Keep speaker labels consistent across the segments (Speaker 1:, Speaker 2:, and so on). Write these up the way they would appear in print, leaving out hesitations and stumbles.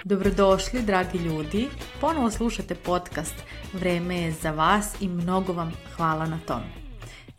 Speaker 1: Dobrodošli, dragi ljudi. Ponovo slušate podcast Vreme je za vas i mnogo vam hvala na tom.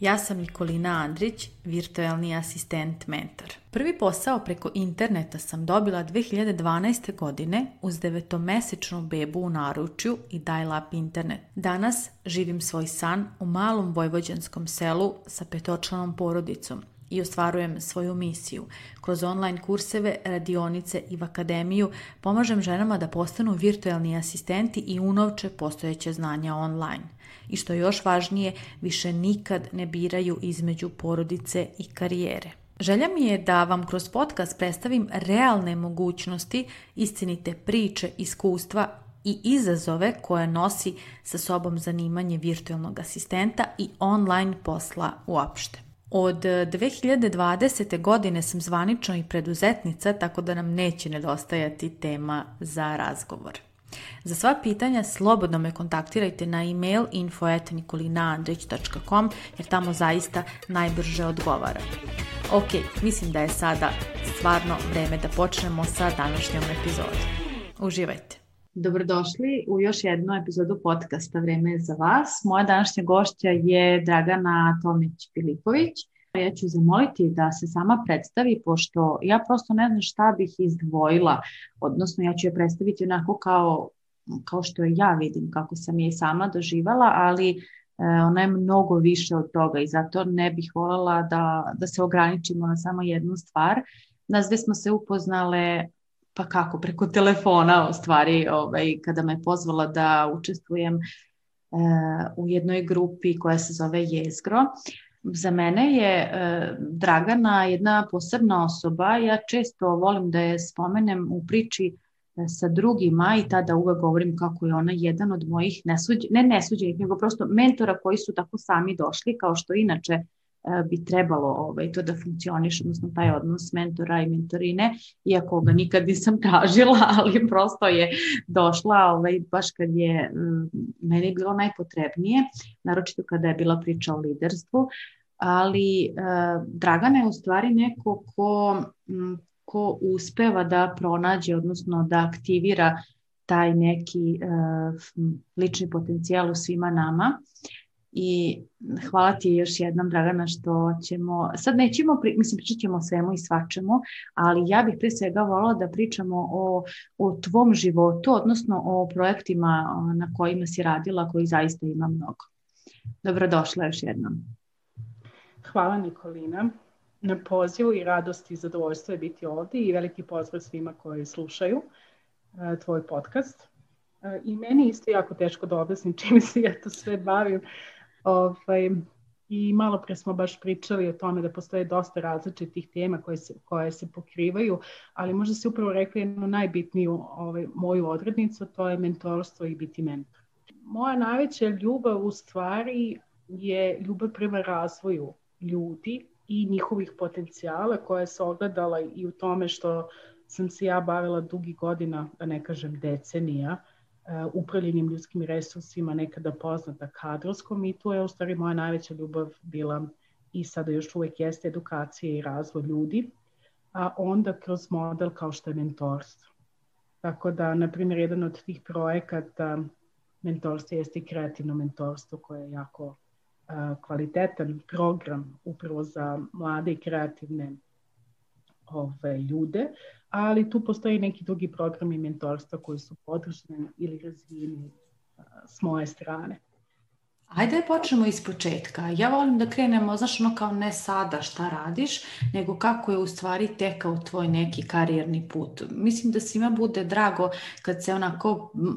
Speaker 1: Ja sam Nikolina Andrić, virtualni asistent mentor. Prvi posao preko interneta sam dobila 2012. godine uz 9-mesečnu bebu u naručju i dial-up internet. Danas živim svoj san u malom vojvođanskom selu sa 5-članom porodicom i ostvarujem svoju misiju. Kroz online kurseve, radionice i v akademiju pomažem ženama da postanu virtualni asistenti i unovče postojeće znanja online. I što je još važnije, više nikad ne biraju između porodice i karijere. Želja mi je da vam kroz podcast predstavim realne mogućnosti, istinite priče, iskustva i izazove koje nosi sa sobom zanimanje virtualnog asistenta i online posla uopšte. Od 2020. godine sam zvanično i preduzetnica, tako da nam neće nedostajati tema za razgovor. Za sva pitanja slobodno me kontaktirajte na email info@nikolinaandrić.com jer tamo zaista najbrže odgovaram. Ok, mislim da je sada stvarno vreme da počnemo sa današnjom epizodom. Uživajte! Dobrodošli u još jednu epizodu podcasta Vreme je za vas. Moja današnja gošća je Dragana Tomić-Filipović. Ja ću zamoliti da se sama predstavi, pošto ja prosto ne znam šta bih izdvojila, odnosno ja ću je predstaviti onako kao što ja vidim, kako sam je i sama doživala, ali ona je mnogo više od toga i zato ne bih voljela da se ograničimo na samo jednu stvar. Nas dve smo se upoznale pa kako, preko telefona u stvari, kada me pozvala da učestvujem u jednoj grupi koja se zove Jezgro. Za mene je Dragana jedna posebna osoba. Ja često volim da je spomenem u priči sa drugima i tada uvek govorim kako je ona jedan od mojih nesuđenih, nego prosto mentora koji su tako sami došli, kao što inače bi trebalo to da funkcioniše, odnosno taj odnos mentora i mentorine, iako ga nikad nisam tražila, ali prosto je došla baš kad je meni bilo najpotrebnije, naročito kada je bila priča o liderstvu, ali Dragana je u stvari neko ko uspeva da pronađe, odnosno da aktivira taj neki lični potencijal u svima nama. I hvala ti još jednom, Dragana, što ćemo, sad nećemo, pričat ćemo o svemu i svačemu, ali ja bih prije svega voljela da pričamo o tvom životu, odnosno o projektima na kojima si radila, koji zaista ima mnogo. Dobrodošla još jednom.
Speaker 2: Hvala, Nikolina, na pozivu i radosti i zadovoljstvo je biti ovdje i veliki pozdrav svima koji slušaju tvoj podcast. I meni isto jako teško da objasnim čime se ja to sve bavim. I malo pre smo baš pričali o tome da postoje dosta različitih tema koje se pokrivaju, ali možda si upravo rekla jednu najbitniju moju odrednicu, to je mentorstvo i biti mentor. Moja najveća ljubav u stvari je ljubav prema razvoju ljudi i njihovih potencijala koja se ogledala i u tome što sam se ja bavila dugi godina, da ne kažem decenija, upravljanjem ljudskim resursima, nekada poznata kadrovskom, i tu je u stvari moja najveća ljubav bila i sada još uvijek jeste edukacija i razvoj ljudi, a onda kroz model kao što je mentorstvo. Tako da, na primjer, jedan od tih projekata mentorstva jeste i kreativno mentorstvo koje je jako kvalitetan program upravo za mlade i kreativne ljude, ali tu postoji neki drugi programi mentorstva koji su podržani ili razvijeni s moje strane.
Speaker 1: Ajde počnemo iz početka. Ja volim da krenemo, znaš, kao ne sada šta radiš, nego kako je u stvari tekao tvoj neki karijerni put. Mislim da svima bude drago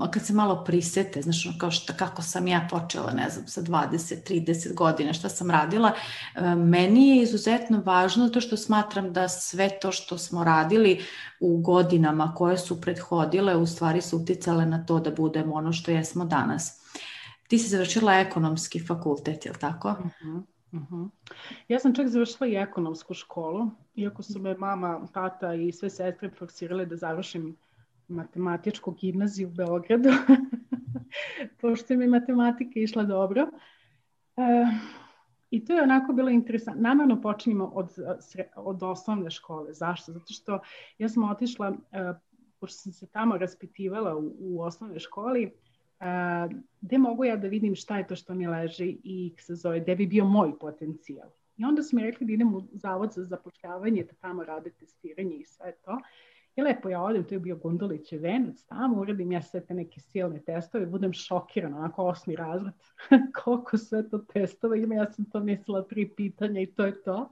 Speaker 1: kad se malo prisete, znaš, kako sam ja počela, ne znam, sa 20-30 godina, šta sam radila. Meni je izuzetno važno to što smatram da sve to što smo radili u godinama koje su prethodile, u stvari su uticale na to da budemo ono što jesmo danas. Ti si završila ekonomski fakultet, je li tako?
Speaker 2: Ja sam čak završila i ekonomsku školu, iako su me mama, tata i sve sestre forsirale da završim matematičku gimnaziju u Beogradu, pošto mi matematika išla dobro. I to je onako bilo interesantno. Namerno počinjemo od osnovne škole. Zašto? Zato što ja sam otišla, pošto sam se tamo raspitivala u osnovnoj školi, gde mogu ja da vidim šta je to što mi leži i se zove, gde bi bio moj potencijal. I onda su mi rekli da idem u zavod za zapošljavanje, da tamo rade testiranje i sve to. I lepo ja odem, to je bio Gundulićev venac, tamo uradim ja sve te neke silne testove, budem šokirana, onako 8. razred, koliko sve to testova ima, ja sam to mislila 3 pitanja i to je to.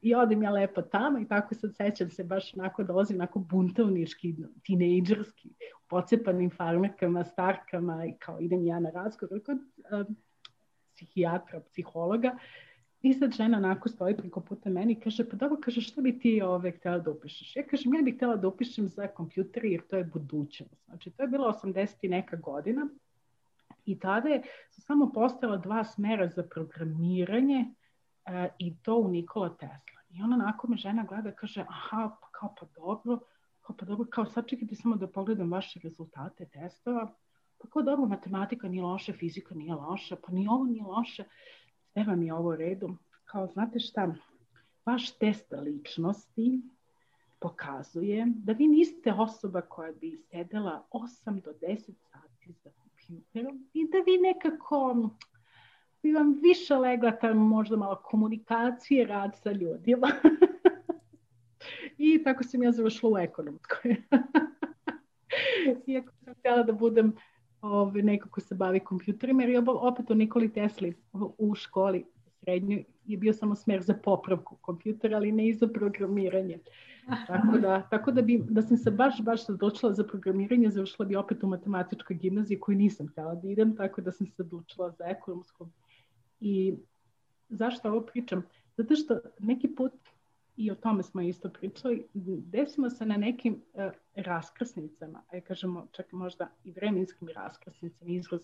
Speaker 2: I odem ja lepo tamo i tako sad sećam se baš onako dolazim onako buntovnički, tinejdžerski, pocepanim farmerkama, starkama i kao idem ja na razgovor kod psihijatra, psihologa. I sad žena onako stoji preko puta meni i kaže, pa dobro, kaže, što bi ti htjela da upišeš? Ja kažem, ja bih htjela da upišem za kompjuter jer to je budućnost. Znači, to je bilo 80 i neka godina i tada su samo postojala 2 smera za programiranje i to u Nikola Tesla. I ona onako me žena gleda, kaže, aha, pa dobro, kao sad čekajte samo da pogledam vaše rezultate testova, pa kao dobro, matematika nije loša, fizika nije loša, pa ni ovo nije loše. Sve vam je ovo u redu. Kao, znate šta, vaš test ličnosti pokazuje da vi niste osoba koja bi sedela 8 do 10 sati za kompjuterom i da vi nekako bi vam više legla tamo možda malo komunikacije, rad sa ljudima. I tako sam ja završila u ekonomskoj. Iako sam htjela da budem neko ko se bavi kompjuterima, jer opet u Nikoli Tesli u školi srednjoj je bio samo smer za popravku kompjutera, ali ne i za programiranje. Tako da sam se baš odlučila za programiranje, završila bi opet u matematičkoj gimnaziji koju nisam htjela da idem, tako da sam se odlučila za ekonomsku. I zašto ovo pričam? Zato što neki put, i o tome smo isto pričali, desimo se na nekim raskrsnicama, a kažemo čak možda i vremenskim raskrsnicama, izraz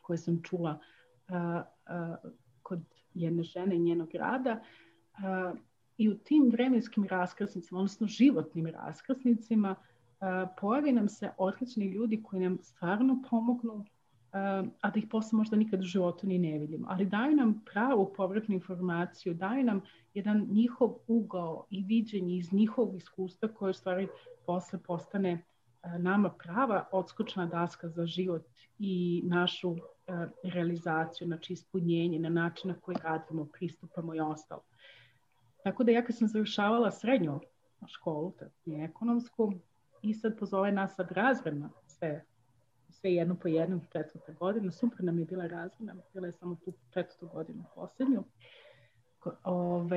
Speaker 2: koje sam čula kod jedne žene i njenog rada. I u tim vremenskim raskrsnicama, odnosno životnim raskrsnicima, pojavi nam se odlični ljudi koji nam stvarno pomognu, a da ih posle možda nikad u životu ni ne vidimo. Ali daju nam pravu povratnu informaciju, daju nam jedan njihov ugao i viđenje iz njihovog iskustva koje u stvari posle postane nama prava odskočna daska za život i našu realizaciju, znači ispunjenje na način na koji radimo, pristupamo i ostalo. Tako da ja kad sam završavala srednju školu, ekonomsku, i sad pozove nas sad razredna, sve jedno po jednom, 4. godinu, super nam je bila razredna, bila je samo tu 4. godinu posljednju,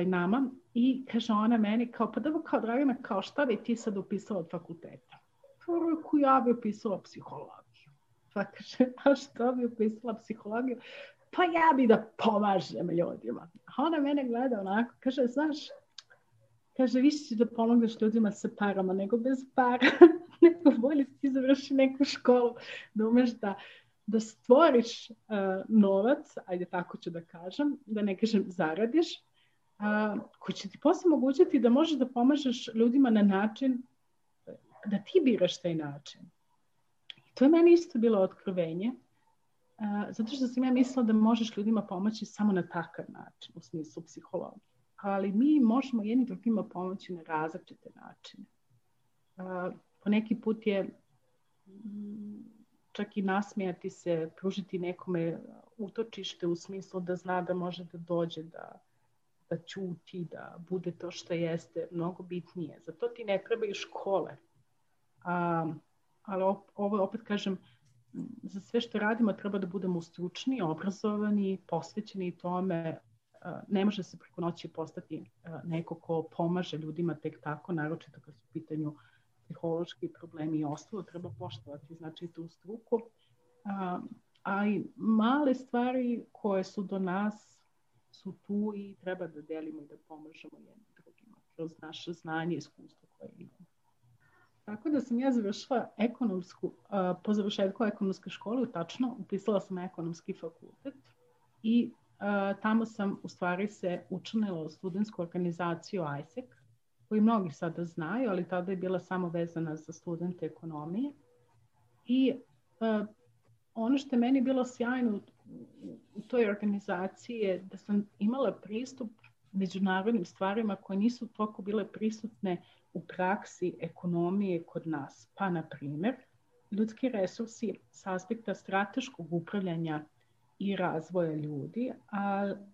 Speaker 2: nama, i kaže ona meni, kao, pa dobro, kao Dragana, kao šta bi ti sad upisala od fakulteta? Prvo, ja bi upisala psihologiju. Pa kaže, a što bi upisala psihologiju? Pa ja bi da pomažem ljudima. A ona mene gleda onako, kaže, znaš, kaže, više ćeš da pomogneš ljudima sa parama nego bez para. Nego bolje ti završi neku školu, da umeš da stvoriš novac, ajde tako ću da kažem, da ne kažem zaradiš, koji će ti posle omogućiti da možeš da pomažeš ljudima na način da ti biraš taj način. I to je meni isto bilo otkrovenje, zato što sam ja mislila da možeš ljudima pomoći samo na takav način, u smislu psihologije. Ali mi možemo jedni drugima pomoći na različite načine. Po neki put je čak i nasmijati se, pružiti nekome utočište u smislu da zna da može da dođe, da ćuti, da bude to što jeste, mnogo bitnije. Zato ti ne trebaju škole. Ali ovo opet kažem, za sve što radimo treba da budemo stručni, obrazovani, posvećeni tome. Ne može se preko noći postati neko ko pomaže ljudima tek tako, naročito kad su u pitanju psihološki problemi i ostalo, treba poštovati znači tu struku. A i male stvari koje su do nas su tu i treba da delimo i da pomažemo jednim drugima kroz naše znanje i iskustvo koje imamo. Tako da sam ja završila ekonomsku, po završetku ekonomske škole, tačno, upisala sam ekonomski fakultet i tamo sam u stvari se učlanila u studentsku organizaciju ISEC, koji mnogi sada znaju, ali tada je bila samo vezana za studente ekonomije. I ono što je meni bilo sjajno u toj organizaciji je da sam imala pristup međunarodnim stvarima koje nisu toliko bile prisutne u praksi ekonomije kod nas. Pa, na primjer, ljudski resursi s aspekta strateškog upravljanja i razvoja ljudi,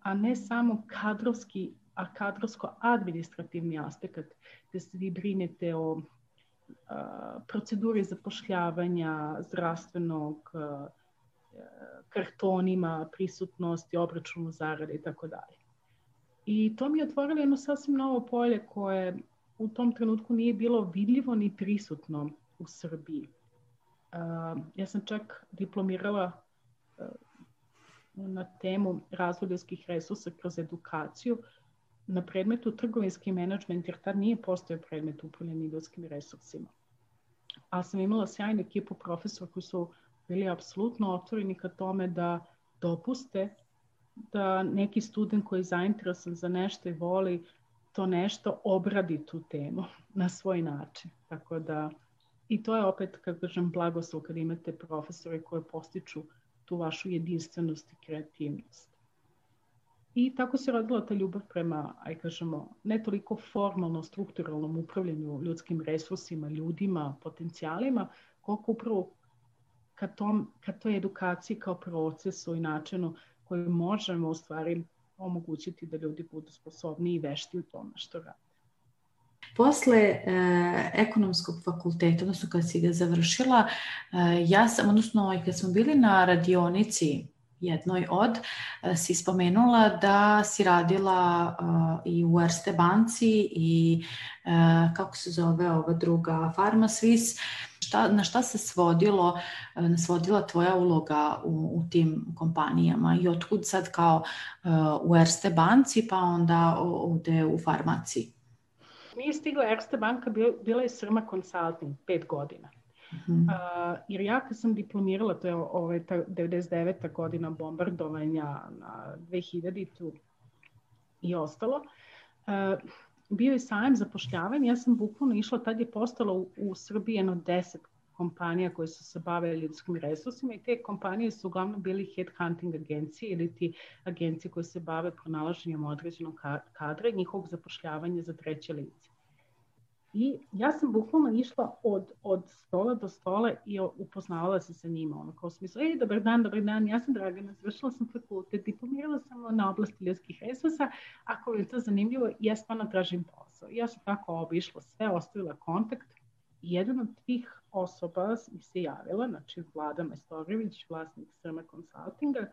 Speaker 2: a ne samo kadrovsko-administrativni aspekt, gdje se vi brinete o proceduri zapošljavanja, zdravstvenog, kartonima, prisutnosti, obračunu zarade i tako dalje. I to mi je otvorilo jedno sasvim novo polje koje u tom trenutku nije bilo vidljivo ni prisutno u Srbiji. Ja sam čak diplomirala na temu razvoj ljudskih resursa kroz edukaciju na predmetu trgovinski menadžment, jer tad nije postojao predmet upravljanja ljudskim resursima. Ali sam imala sjajnu ekipu profesora koji su bili apsolutno otvoreni ka tome da dopuste da neki student koji je zainteresovan za nešto i voli to nešto obradi tu temu na svoj način. Tako da, i to je opet, kako kažem, blagoslov kad imate profesore koji postiču tu vašu jedinstvenost i kreativnost. I tako se rodila ta ljubav prema, kažemo, ne toliko formalno, strukturalnom upravljanju ljudskim resursima, ljudima, potencijalima, koliko upravo ka toj edukaciji kao procesu i načinu koji možemo u stvari omogućiti da ljudi budu sposobni i vešti u tome što rade.
Speaker 1: Posle ekonomskog fakulteta, odnosno kad si ga završila, ja sam, odnosno kad smo bili na radionici jednoj od, si spomenula da si radila i u Erste banci i kako se zove ova druga, PharmaSwiss. Na šta se svodila tvoja uloga u tim kompanijama i otkud sad kao u Erste banci pa onda ovde u farmaciji?
Speaker 2: Nije stigla Erste banka, bila je Srma Consulting 5 godina. Jer ja kad sam diplomirala, to je ta 99. godina bombardovanja na 2000 i ostalo, bio je sajam zapošljavanja. Ja sam bukvalno išla, tad je postalo u Srbiji jedno 10 kompanija koje su se bavile ljudskim resursima i te kompanije su uglavnom bili headhunting agencije ili ti agencije koje se bave pronalaženjem određenog kadra i njihovog zapošljavanja za treće lice. I ja sam bukvalno išla od stola do stola i upoznavala se sa njima. Kao smislu, dobar dan, ja sam Dragana, završila sam fakultet, diplomirala sam na oblasti ljudskih resursa, ako je to zanimljivo, ja stvarno tražim posao. Ja sam tako obišla sve, ostavila kontakt i jedan od tih osoba mi se javila, znači Vlada Majstorović, vlasnik Srma Consultinga.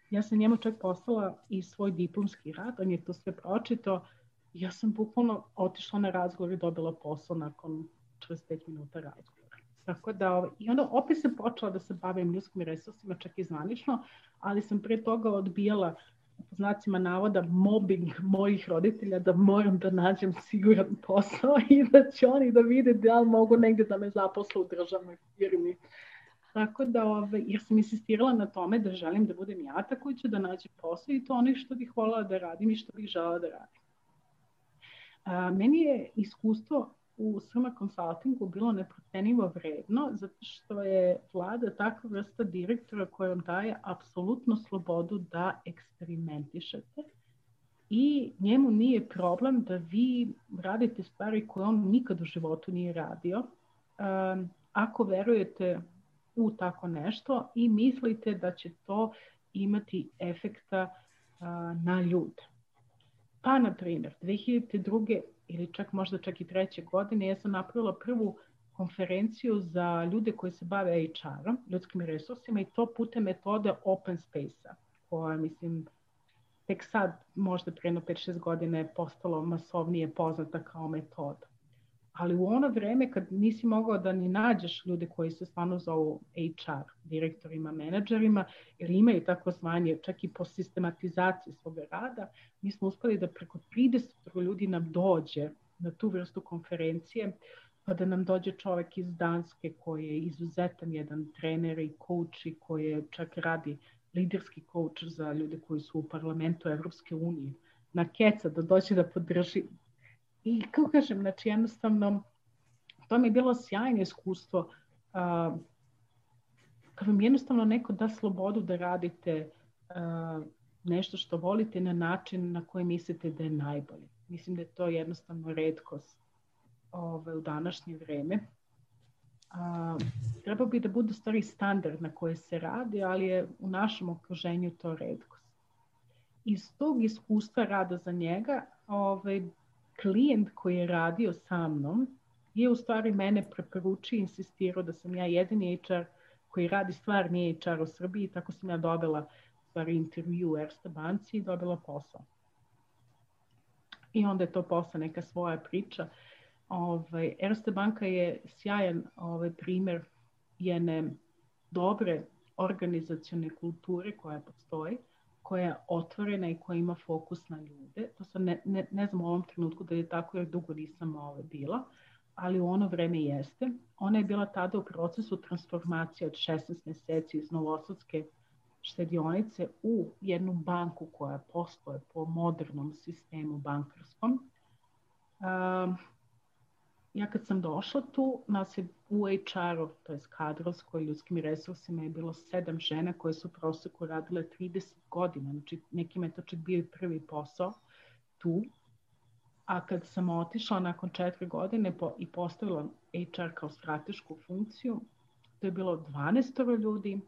Speaker 2: Ja sam njemu čak poslala i svoj diplomski rad, on je to sve pročitao. Ja sam bukvalno otišla na razgovor i dobila posao nakon 45 minuta razgovora. Tako da, i onda opet sam počela da se bavim ljudskim resursima, čak i zvanično, ali sam pre toga odbijala, po znacima navoda, mobbing mojih roditelja da moram da nađem siguran posao i da će oni da vide da li mogu negdje da me zaposle u državnoj firmi. Tako da, jer sam insistirala na tome da želim da budem ja ta koji će da nađem posao i to ono što bih voljela da radim i što bih želela da radim. Meni je iskustvo u Srma Consultingu bilo neprocenivo vredno, zato što je Vlada takva vrsta direktora koja vam daje apsolutnu slobodu da eksperimentišete i njemu nije problem da vi radite stvari koje on nikad u životu nije radio. Ako verujete u tako nešto i mislite da će to imati efekta na ljude. Pa, na primjer, 2002. ili možda čak i 3. godine ja sam napravila prvu konferenciju za ljude koji se bave HR-om, ljudskim resursima i to putem metode Open Space-a, koja, mislim, tek sad, možda pre 5-6 godina je postalo masovnije poznata kao metoda. Ali u ono vreme kad nisi mogao da ni nađeš ljude koji se stvarno zovu HR, direktorima, menadžerima, jer imaju tako zvanje, čak i po sistematizaciji svoga rada, mi smo uspeli da preko 30 ljudi nam dođe na tu vrstu konferencije, pa da nam dođe čovjek iz Danske koji je izuzetan jedan trener i coach i koji čak radi liderski coach za ljude koji su u parlamentu Evropske unije, na keca da dođe da podrži. I kako kažem, znači jednostavno, to mi je bilo sjajno iskustvo, kad vam jednostavno neko da slobodu da radite nešto što volite na način na koji mislite da je najbolji. Mislim da je to jednostavno retkost u današnje vreme. Treba bi da bude stvari standard na koje se radi, ali je u našem okruženju to retkost. Iz tog iskustva rada za njega, klijent koji je radio sa mnom je u stvari mene preporučio i insistirao da sam ja jedini HR koji radi stvarni HR u Srbiji, tako sam ja dobila stvari intervju u Erste banci i dobila posao. I onda je to posle neka svoja priča. Erste banka je sjajan primjer jedne dobre organizacione kulture koja postoji, koja je otvorena i koja ima fokus na ljude. To sam ne znam u ovom trenutku da je tako jer dugo nisam bila, ali u ono vreme jeste. Ona je bila tada u procesu transformacije od 16 mjeseci iz Novosadske štedionice u jednu banku koja postoje po modernom sistemu bankarskom. Ja kad sam došla tu, nas je u HR-u, to je kadrovskoj ljudskim resursima, je bilo 7 žena koje su u proseku radile 30 godina. Znači, nekima je to čak bio i prvi posao tu. A kad sam otišla nakon 4 godine i postavila HR kao stratešku funkciju, to je bilo 12 ljudi,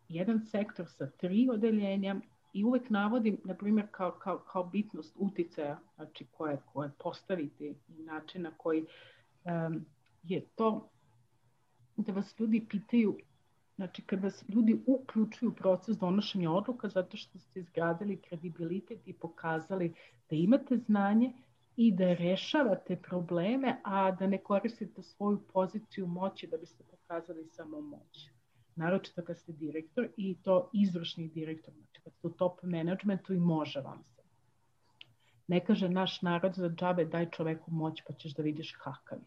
Speaker 2: jedan sektor sa 3 odeljenja i uvek navodim, na primjer, kao bitnost uticaja, znači koje postavite i način na koji je to da vas ljudi pitaju, znači kad vas ljudi uključuju u proces donošenja odluka zato što ste izgradili kredibilitet i pokazali da imate znanje i da rešavate probleme, a da ne koristite svoju poziciju moći da biste pokazali samo moć. Naročito kad ste direktor i to izvršni direktor, znači kad ste u top managementu i može vam se. Ne kaže naš narod za džabe daj čoveku moć pa ćeš da vidiš kakav je.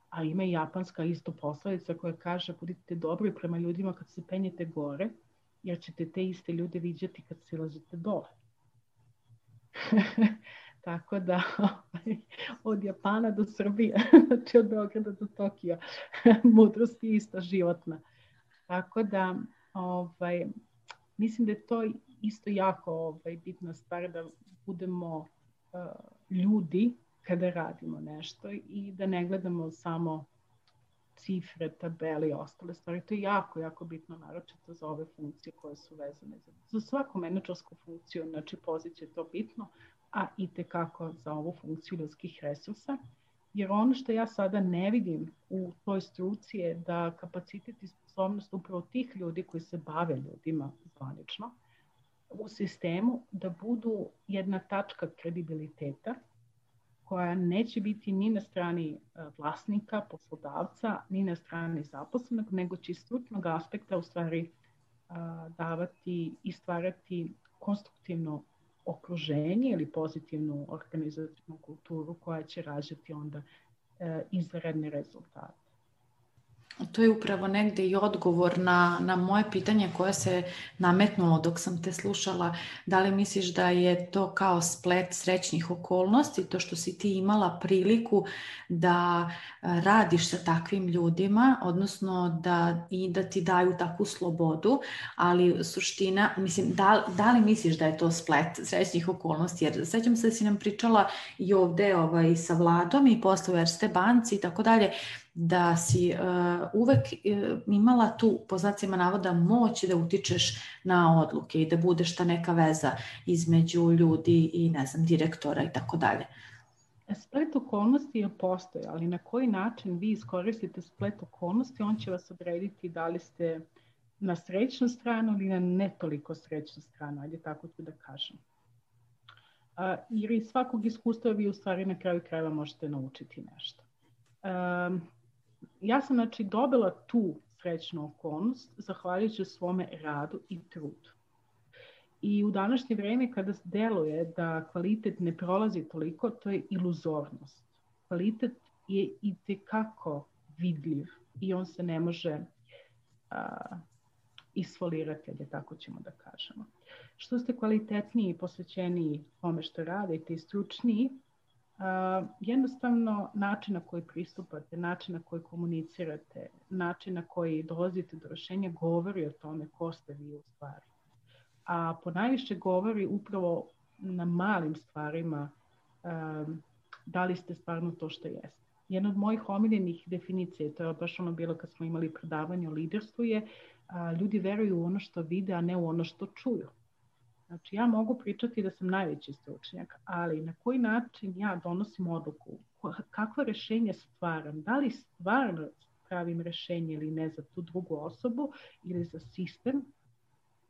Speaker 2: A ima i japanska isto poslovica koja kaže budite dobri prema ljudima kad se penjete gore, jer ćete te iste ljude viđati kad silazite dole. Tako da od Japana do Srbije, znači od Beograda do Tokija, mudrost je ista životna. Tako da mislim da je to isto jako bitna stvar da budemo ljudi kada radimo nešto i da ne gledamo samo cifre, tabele i ostale stvari. To je jako, jako bitno, naročito za ove funkcije koje su vezane za svaku menadžersku funkciju, znači poziciju je to bitno, a itekako za ovu funkciju ljudskih resursa. Jer ono što ja sada ne vidim u toj struci je da kapacitet i sposobnost upravo tih ljudi koji se bave ljudima zvanično u sistemu da budu jedna tačka kredibiliteta koja neće biti ni na strani vlasnika, poslodavca, ni na strani zaposlenog, nego će iz stručnog aspekta u stvari davati i stvarati konstruktivno okruženje ili pozitivnu organizacijnu kulturu koja će rađati onda izvanredne rezultate.
Speaker 1: To je upravo negde i odgovor na moje pitanje koje se nametnulo dok sam te slušala. Da li misliš da je to kao splet srećnih okolnosti, to što si ti imala priliku da radiš sa takvim ljudima, odnosno da ti daju takvu slobodu, ali suština, mislim, da li misliš da je to splet srećnih okolnosti? Jer sećam se da si nam pričala i ovde sa Vladom i posle u Erste banci i tako dalje, da si uvek imala tu, po znacima navoda, moć da utičeš na odluke i da budeš ta neka veza između ljudi i, ne znam, direktora i tako dalje.
Speaker 2: Splet okolnosti je postoji, ali na koji način vi iskoristite splet okolnosti, on će vas odrediti da li ste na srećnu stranu ili na ne toliko srećnu stranu, ajde tako ću da kažem. Jer iz svakog iskustva vi u stvari na kraju krajeva možete naučiti nešto. Ja sam znači dobila tu srećnu okolnost zahvaljujući svome radu i trudu. I u današnje vrijeme kada deluje da kvalitet ne prolazi toliko, to je iluzornost. Kvalitet je itekako vidljiv i on se ne može isfolirati, ali tako ćemo da kažemo. Što ste kvalitetniji i posvećeniji tome što radite i stručniji, jednostavno način na koji pristupate, način na koji komunicirate, način na koji dolazite do rešenja govori o tome ko ste vi u stvari. A ponajviše govori upravo na malim stvarima da li ste stvarno to što jeste. Jedna od mojih omiljenih definicija, to je baš ono bilo kad smo imali predavanje o liderstvu, je ljudi veruju u ono što vide, a ne u ono što čuju. Znači, ja mogu pričati da sam najveći stručnjak, ali na koji način ja donosim odluku, kakvo rješenje stvaram, da li stvarno pravim rješenje ili ne za tu drugu osobu ili za sistem,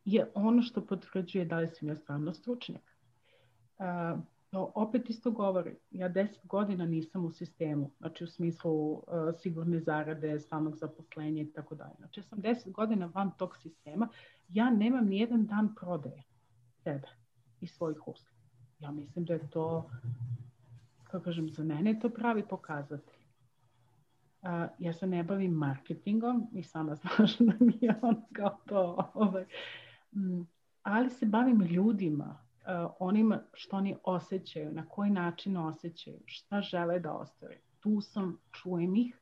Speaker 2: je ono što potvrđuje da li sam ja stvarno stručnjak. Opet isto govori, ja 10 godina nisam u sistemu, znači u smislu sigurne zarade, stalnog zaposlenja i tako dalje. Znači ja sam 10 godina van tog sistema, ja nemam nijedan dan prodaje sebe i svojih usluga. Ja mislim da je to, kako kažem, za mene je to pravi pokazatelj. Ja se ne bavim marketingom i sama znaš da mi je on kao to, ali se bavim ljudima, onima što oni osjećaju, na koji način osjećaju, šta žele da ostvare. Tu sam, čujem ih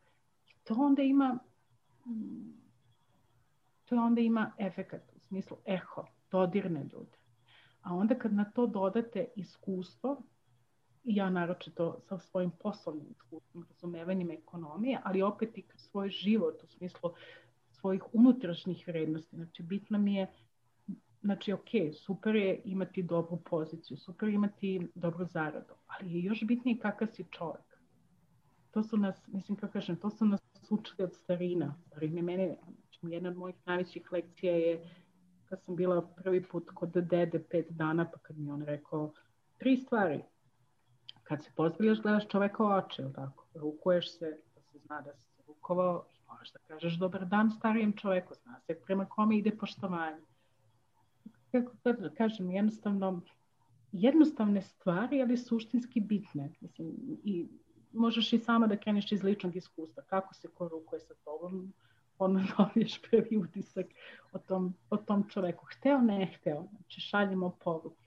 Speaker 2: i to onda ima efekat, u smislu eho, dodirne ljude. A onda kad na to dodate iskustvo, ja naročito sa svojim poslovnim iskustvom, razumevanjem ekonomije, ali opet i svoj život u smislu svojih unutrašnjih vrednosti. Znači, bitno mi je, znači, ok, super je imati dobru poziciju, super je imati dobru zaradu, ali je još bitnije kakav si čovjek. To su nas, mislim, kako kažem, to su nas učili od starina. Mene, znači, jedna od mojih najvećih lekcija je kad sam bila prvi put kod dede 5 dana, pa kad mi on rekao 3 stvari. Kad se pozdravljaš, gledaš čoveka u oči, tako? Rukuješ se, da se zna da si se rukovao i možeš da kažeš dobar dan starijem čoveku, zna se prema kome ide poštovanje. Kako da kažem, jednostavne stvari, ali suštinski bitne. Mislim, i možeš i sama da kreneš iz ličnog iskustva. Kako se ko rukuje sa tobom, onda dobiješ prvi utisak o tom čoveku. Hteo, ne hteo. Znači, šaljemo poruke.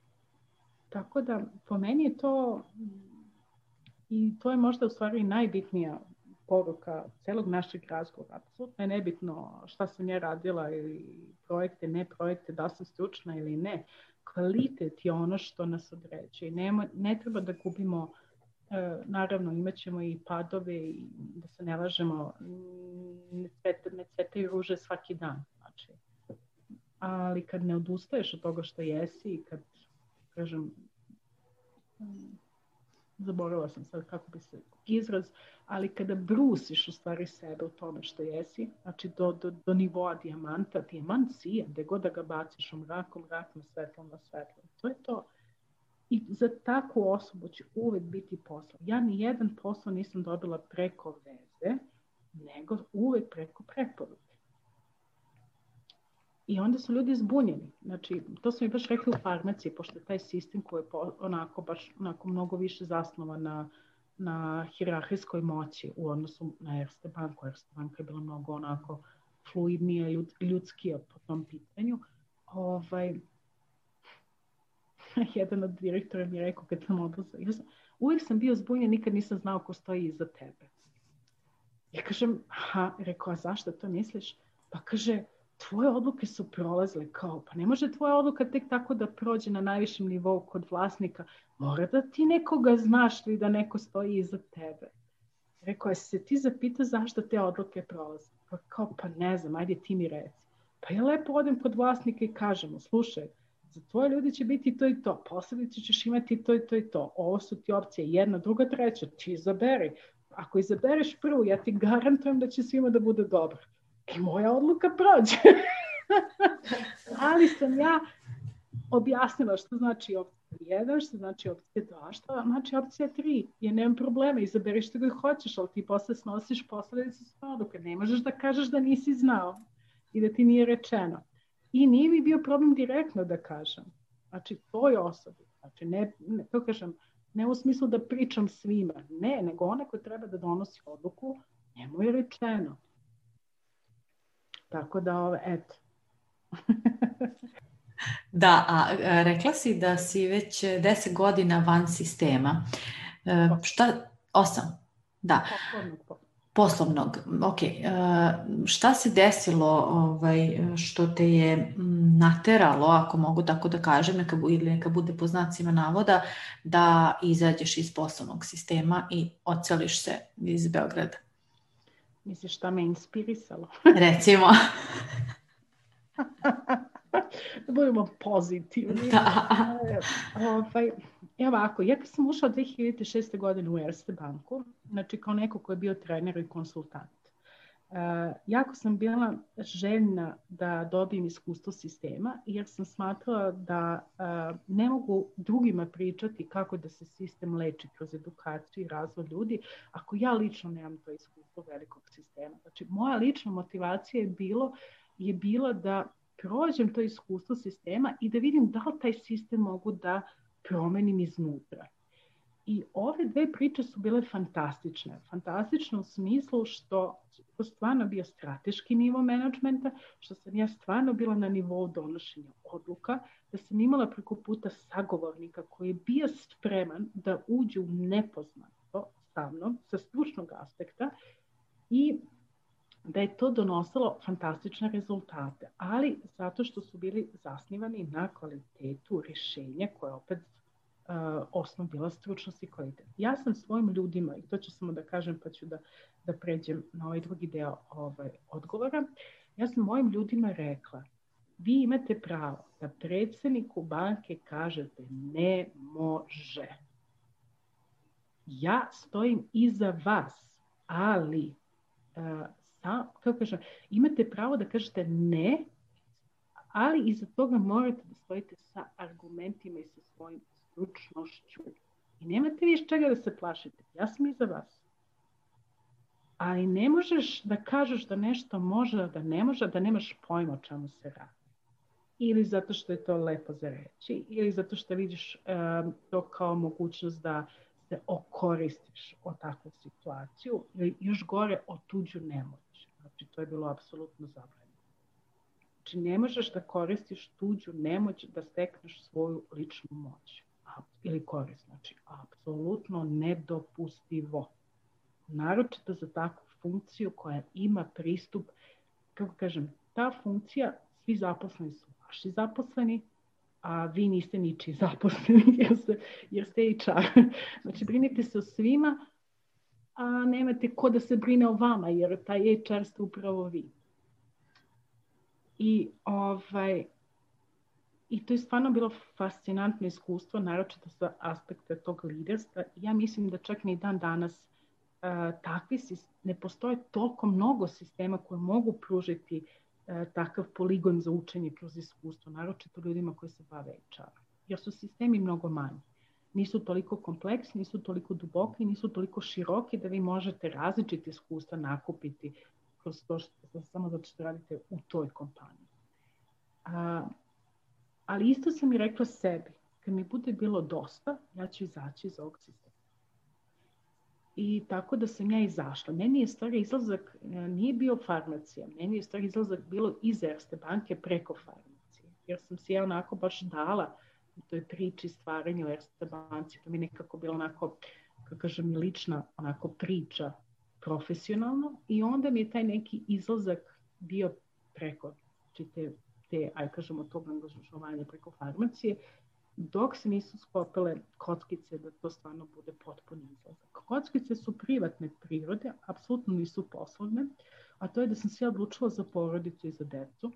Speaker 2: Tako da, po meni je to, i to je možda u stvari najbitnija poruka celog našeg razgovora. Apsolutno je nebitno šta sam ja radila ili projekte, ne projekte, da sam stručna ili ne. Kvalitet je ono što nas određuje. Ne treba da gubimo, naravno imat ćemo i padove i da se ne lažemo, ne cvetaju ruže svaki dan. Znači, ali kad ne odustaješ od toga što jesi i kad, kažem, zaboravila sam sad kako bi se izraz, ali kada brusiš u stvari sebe u tome što jesi, znači do nivoa dijamanta, dijamant sija, gde god da ga baciš u mrak na svetlo. To je to. I za takvu osobu će uvek biti posao. Ja ni jedan posao nisam dobila preko veze, nego uvek preko preporuke. I onda su ljudi zbunjeni. Znači, to su mi baš rekli u farmaciji, pošto je taj sistem koji je onako mnogo više zasnovan na hijerarhijskoj moći u odnosu na Erste banku. Erste banka je bila mnogo onako fluidnija, ljudskija po tom pitanju. Jedan od direktora mi je rekao kad sam odlazila, uvijek sam bio zbunjen, nikad nisam znao ko stoji iza tebe. Ja kažem, rekao, a zašto to misliš? Pa kaže, tvoje odluke su prolazile, kao, pa ne može tvoja odluka tek tako da prođe na najvišem nivou kod vlasnika. Mora da ti nekoga znaš ili da neko stoji iza tebe. Rekao, jesi se ti zapitao zašto te odluke prolaze? Pa kao, pa ne znam, ajde ti mi reci. Pa ja lepo odem kod vlasnika i kažem, slušaj, za tvoje ljudi će biti to i to, posljedice ćeš imati to i to i to. Ovo su ti opcije, 1, 2, 3, ti izaberi. Ako izabereš prvu, ja ti garantujem da će svima da bude dobro. I moja odluka prođe. Ali sam ja objasnila što znači opcija 1, što znači opcija 2, što znači opcija 3. Ja nemam problema, izaberi što ga hoćeš, ali ti posle snosiš posljedice svoje odluke. Ne možeš da kažeš da nisi znao i da ti nije rečeno. I nije mi bio problem direktno da kažem. Znači, toj osobi. Znači, to kažem, ne u smislu da pričam svima. Ne, nego ona koja treba da donosi odluku, njemu je rečeno. Tako da, eto.
Speaker 1: Da, a rekla si da si već 10 godina van sistema. 8? Da. poslovnog. Ok, šta se desilo što te je nateralo, ako mogu tako da kažem, neka bude po znacima navoda, da izađeš iz poslovnog sistema i odseliš se iz Beograda?
Speaker 2: Misliš šta me inspirisalo?
Speaker 1: Recimo.
Speaker 2: Da budemo pozitivni. Ovako, ja kad sam ušla 2006. godine u Erste banku, znači kao neko ko je bio trener i konsultant, jako sam bila željna da dobijem iskustvo sistema, jer sam smatrala da ne mogu drugima pričati kako da se sistem leči kroz edukaciju i razvoj ljudi, ako ja lično nemam to iskustvo velikog sistema. Znači, moja lična motivacija je bila da prođem to iskustvo sistema i da vidim da li taj sistem mogu da promenim iznutra. I ove dve priče su bile fantastične. Fantastične u smislu što to stvarno bio strateški nivo menadžmenta, što sam ja stvarno bila na nivou donošenja odluka, da sam imala preko puta sagovornika koji je bio spreman da uđe u nepoznato sa mnom, sa stručnog aspekta, i da je to donosilo fantastične rezultate, ali zato što su bili zasnivani na kvalitetu rješenja koje opet osnov bila stručnost i kvalitet. Ja sam svojim ljudima, i to ću samo da kažem pa ću da pređem na ovaj drugi deo odgovora, ja sam mojim ljudima rekla, vi imate pravo da predsjedniku banke kažete ne može. Ja stojim iza vas, ali kako kažem, imate pravo da kažete ne, ali iza toga morate da stojite sa argumentima i sa svojim stručnošću. I nemate više čega da se plašite. Ja sam iza vas. Ali ne možeš da kažeš da nešto može, da ne može, da nemaš pojma o čemu se radi. Ili zato što je to lepo za reći, ili zato što vidiš to kao mogućnost da se okoristiš o takvu situaciju, ili još gore o tuđu nemoć. Znači, to je bilo apsolutno zabranjeno. Znači, ne možeš da koristiš tuđu nemoć da stekneš svoju ličnu moć ili korist. Znači, apsolutno nedopustivo. Naročito za takvu funkciju koja ima pristup, kako kažem, ta funkcija, svi zaposleni su vaši zaposleni, a vi niste ničiji zaposleni jer ste HR. Znači, brinite se o svima, a nemate ko da se brine o vama, jer taj HR ste upravo vi. I to je stvarno bilo fascinantno iskustvo, naročito sa aspekta tog liderstva. Ja mislim da čak ni dan danas ne postoje toliko mnogo sistema koji mogu pružiti takav poligon za učenje kroz iskustvo, naročito ljudima koji se bave HR-om. Jer su sistemi mnogo manji. Nisu toliko kompleksni, nisu toliko duboki, nisu toliko široki da vi možete različite iskustva nakupiti kroz to samo zato što radite u toj kompaniji. Ali isto sam i rekla sebi, kad mi bude bilo dosta, ja ću izaći iz ovog sistema. I tako da sam ja izašla. Meni je stvari izlazak, nije bio farmacija, meni je stvari izlazak bilo iz Erste banke preko farmacije. Jer sam si ja onako baš dala u toj priči stvaranja u Erste banci. To mi nekako bilo onako, kako kažem, lična onako priča profesionalno. I onda mi je taj neki izlazak bio preko aj kažemo tog angažovanja preko farmacije, dok se nisu skopile kockice da to stvarno bude potpuni izlazak. Kockice su privatne prirode, apsolutno nisu poslovne, a to je da sam se odlučila za porodicu i za decu.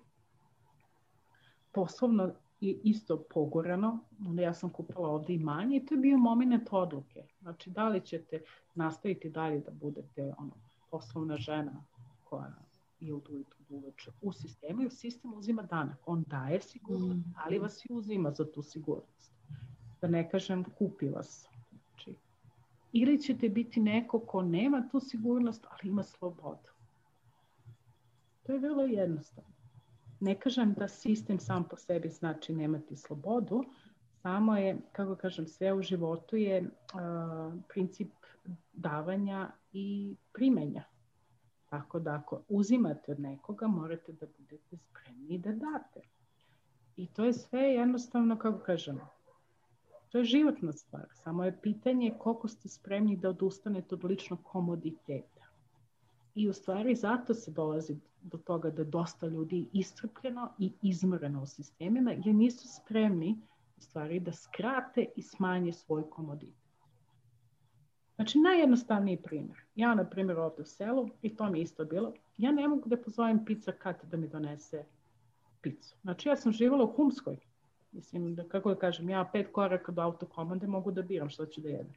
Speaker 2: Poslovno je isto pogorano, onda ja sam kupila ovdje imanje i to je bio moment odluke. Znači, da li ćete nastaviti dalje da budete poslovna žena koja je od ujutru do uveče u sistemu, jer sistem uzima danak. On daje sigurnost, ali vas i uzima za tu sigurnost. Da ne kažem, kupi vas. Znači, ili ćete biti neko ko nema tu sigurnost, ali ima slobodu. To je vrlo jednostavno. Ne kažem da sistem sam po sebi znači nemati slobodu, samo je, kako kažem, sve u životu je princip davanja i primanja. Tako da ako uzimate od nekoga, morate da budete spremni da date. I to je sve jednostavno, kako kažemo, to je životna stvar. Samo je pitanje koliko ste spremni da odustanete od ličnog komoditeta. I u stvari zato se dolazi do toga da dosta ljudi iscrpljeno i izmoreno u sistemima jer nisu spremni u stvari da skrate i smanje svoj komoditet. Znači, najjednostavniji primjer. Ja, na primjer, ovdje u selu, i to mi je isto bilo, ja ne mogu da pozovem pizza kat da mi donese picu. Znači, ja sam živala u Humskoj. Mislim, da, kako da kažem, ja 5 koraka do autokomande mogu da biram što ću da jedem.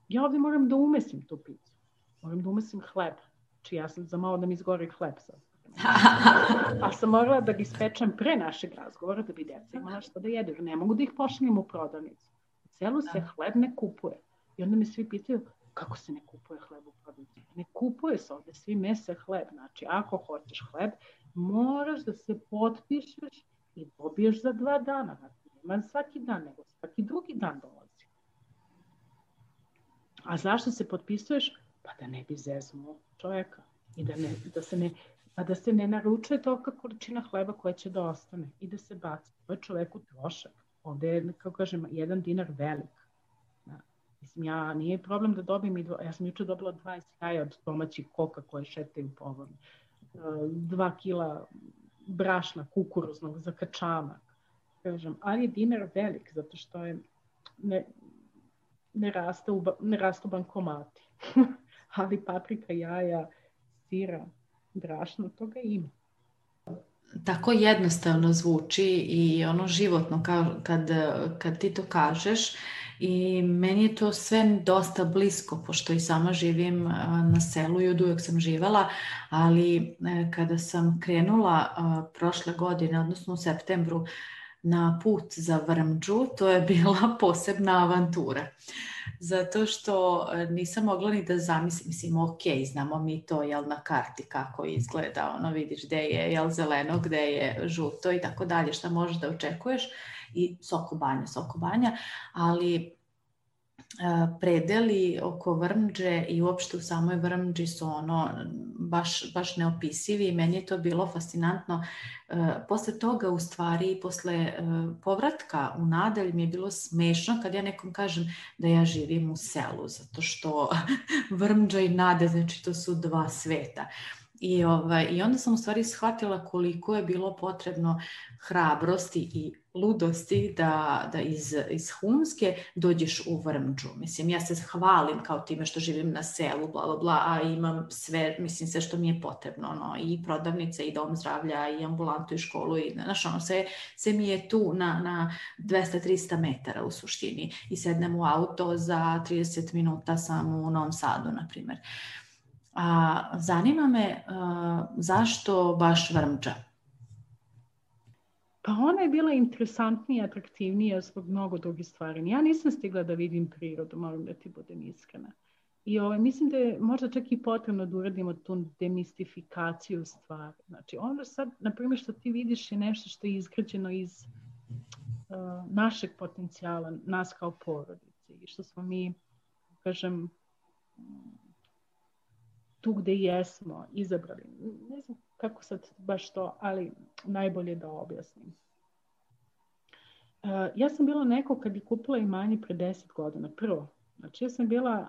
Speaker 2: Ja ovdje moram da umesim tu picu. Moram da umesim hleb. Znači, ja sam za malo da mi izgori hleb sad. A sam morala da ga ispečem pre našeg razgovora da bi djeca imala što da jedu. Ne mogu da ih pošaljem u prodavnicu. U celu se hleb ne kupuje. I onda me svi pitaju kako se ne kupuje hleb u prodavnici. Ne kupuje se ovdje, svi mese hleb. Znači, ako hoćeš hleb, moraš da se potpišeš i dobiješ za 2 dana. Znači, nema svaki dan, nego svaki drugi dan dolazi. A zašto se potpisuješ? Pa da ne bi zeznuo čovjeka. I da se ne naručuje tolika količina hleba koja će da ostane i da se baci. To je čoveku trošak. Ovdje je, kako kažem, 1 dinar velik. Mislim, ja nije problem da dobijem ja sam jučer dobila 20 jaja od domaćih koka koje šetaju po ovom. 2 kila brašna kukuruznog za kačamak. Kažem, ali je dinar velik zato što je ne rastu bankomati. Ali paprika, jaja, sira, brašno, toga ima.
Speaker 1: Tako jednostavno zvuči i ono životno kad ti to kažeš i meni je to sve dosta blisko pošto i sama živim na selu i od uvijek sam živala, ali kada sam krenula prošle godine, odnosno u septembru, na put za Vrmđu, to je bila posebna avantura. Zato što nisam mogla ni da zamislim, mislim, ok, znamo mi to, jel, na karti kako izgleda, ono, vidiš gde je, jel, zeleno, gde je žuto i tako dalje, šta možeš da očekuješ i Sokobanja, ali predeli oko Vrmđe i uopšte u samoj Vrmđi su ono baš neopisivi i meni je to bilo fascinantno. Posle toga, u stvari, posle povratka u Nadelj mi je bilo smešno kad ja nekom kažem da ja živim u selu, zato što Vrmđa i Nadelj, znači to su 2 sveta. I onda sam u stvari shvatila koliko je bilo potrebno hrabrosti i ludosti da iz Humske dođeš u Vrmđu. Mislim, ja se hvalim kao time što živim na selu, bla, bla, bla, a imam sve, mislim, sve što mi je potrebno. Ono, i prodavnice, i dom zdravlja, i ambulantu, i školu, i znaš, ono, sve mi je tu na 200-300 metara u suštini. I sednem u auto, za 30 minuta sam u Novom Sadu, na primjer. A zanima me zašto baš Vrmđa?
Speaker 2: Pa ona je bila interesantnija, atraktivnija zbog mnogo drugih stvari. Ja nisam stigla da vidim prirodu, moram da ti budem iskrena. I mislim da je možda čak i potrebno da uradimo tu demistifikaciju stvari. Znači, ono sad, na primjer, što ti vidiš je nešto što je izgrađeno iz našeg potencijala, nas kao porodice. I što smo mi, kažem, tu gde jesmo izabrali. Ne znam kako sad baš to, ali najbolje da objasnim. Ja sam bila neko kad je kupila imanje pre 10 godina. Prvo, znači ja sam bila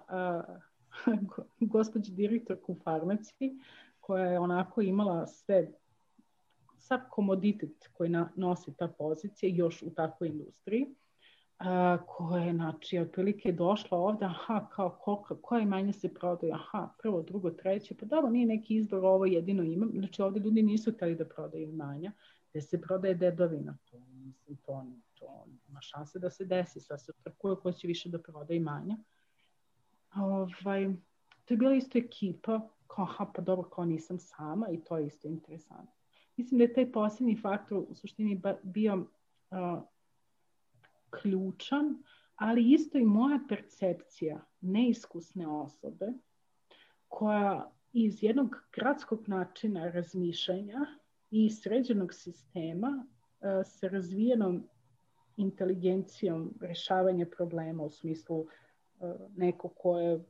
Speaker 2: gospođa direktorka u farmaciji koja je onako imala sav komoditet koji nosi ta pozicija još u takvoj industriji. Koja je, znači, otprilike došla ovdje, kao koje imanje se prodaju, prvo, drugo, treće, pa dobro, nije neki izbor, ovo jedino imam, znači ovdje ljudi nisu htjeli da prodaju imanja, gdje se prodaje dedovina, to ima šanse da se desi, sad se trkuje ko će više da prodaje imanja. To je bila isto ekipa, pa dobro, kao nisam sama i to je isto interesantno. Mislim da je taj posljednji faktor u suštini bio ključan, ali isto i moja percepcija neiskusne osobe koja iz jednog gradskog načina razmišljanja i sređenog sistema sa razvijenom inteligencijom rješavanja problema u smislu neko ko je,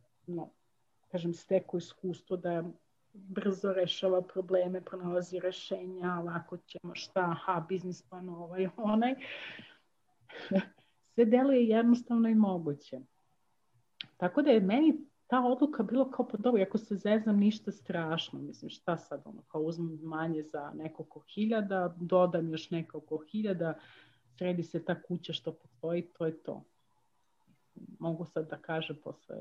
Speaker 2: stekao iskustvo da brzo rešava probleme, pronalazi rešenja, lako ćemo biznis plan ovaj, onaj. Sve deluje jednostavno i moguće. Tako da je meni ta odluka bilo kao pa dobro, ako se zezam ništa strašno, mislim šta sad ono, kao uzmem manje za nekoliko hiljada, dodam još nekoliko hiljada, sredi se ta kuća što postoji, to je to. Mogu sad da kažem posle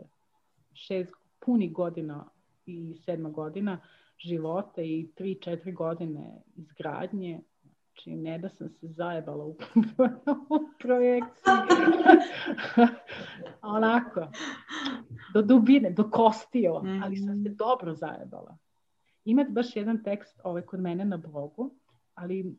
Speaker 2: 6 punih godina i 7 godina života i 3-4 godine izgradnje, znači ne da sam se zajebala u projekciji, onako, do dubine, do kostiju, ali sam se dobro zajebala. Ima baš jedan tekst kod mene na blogu, ali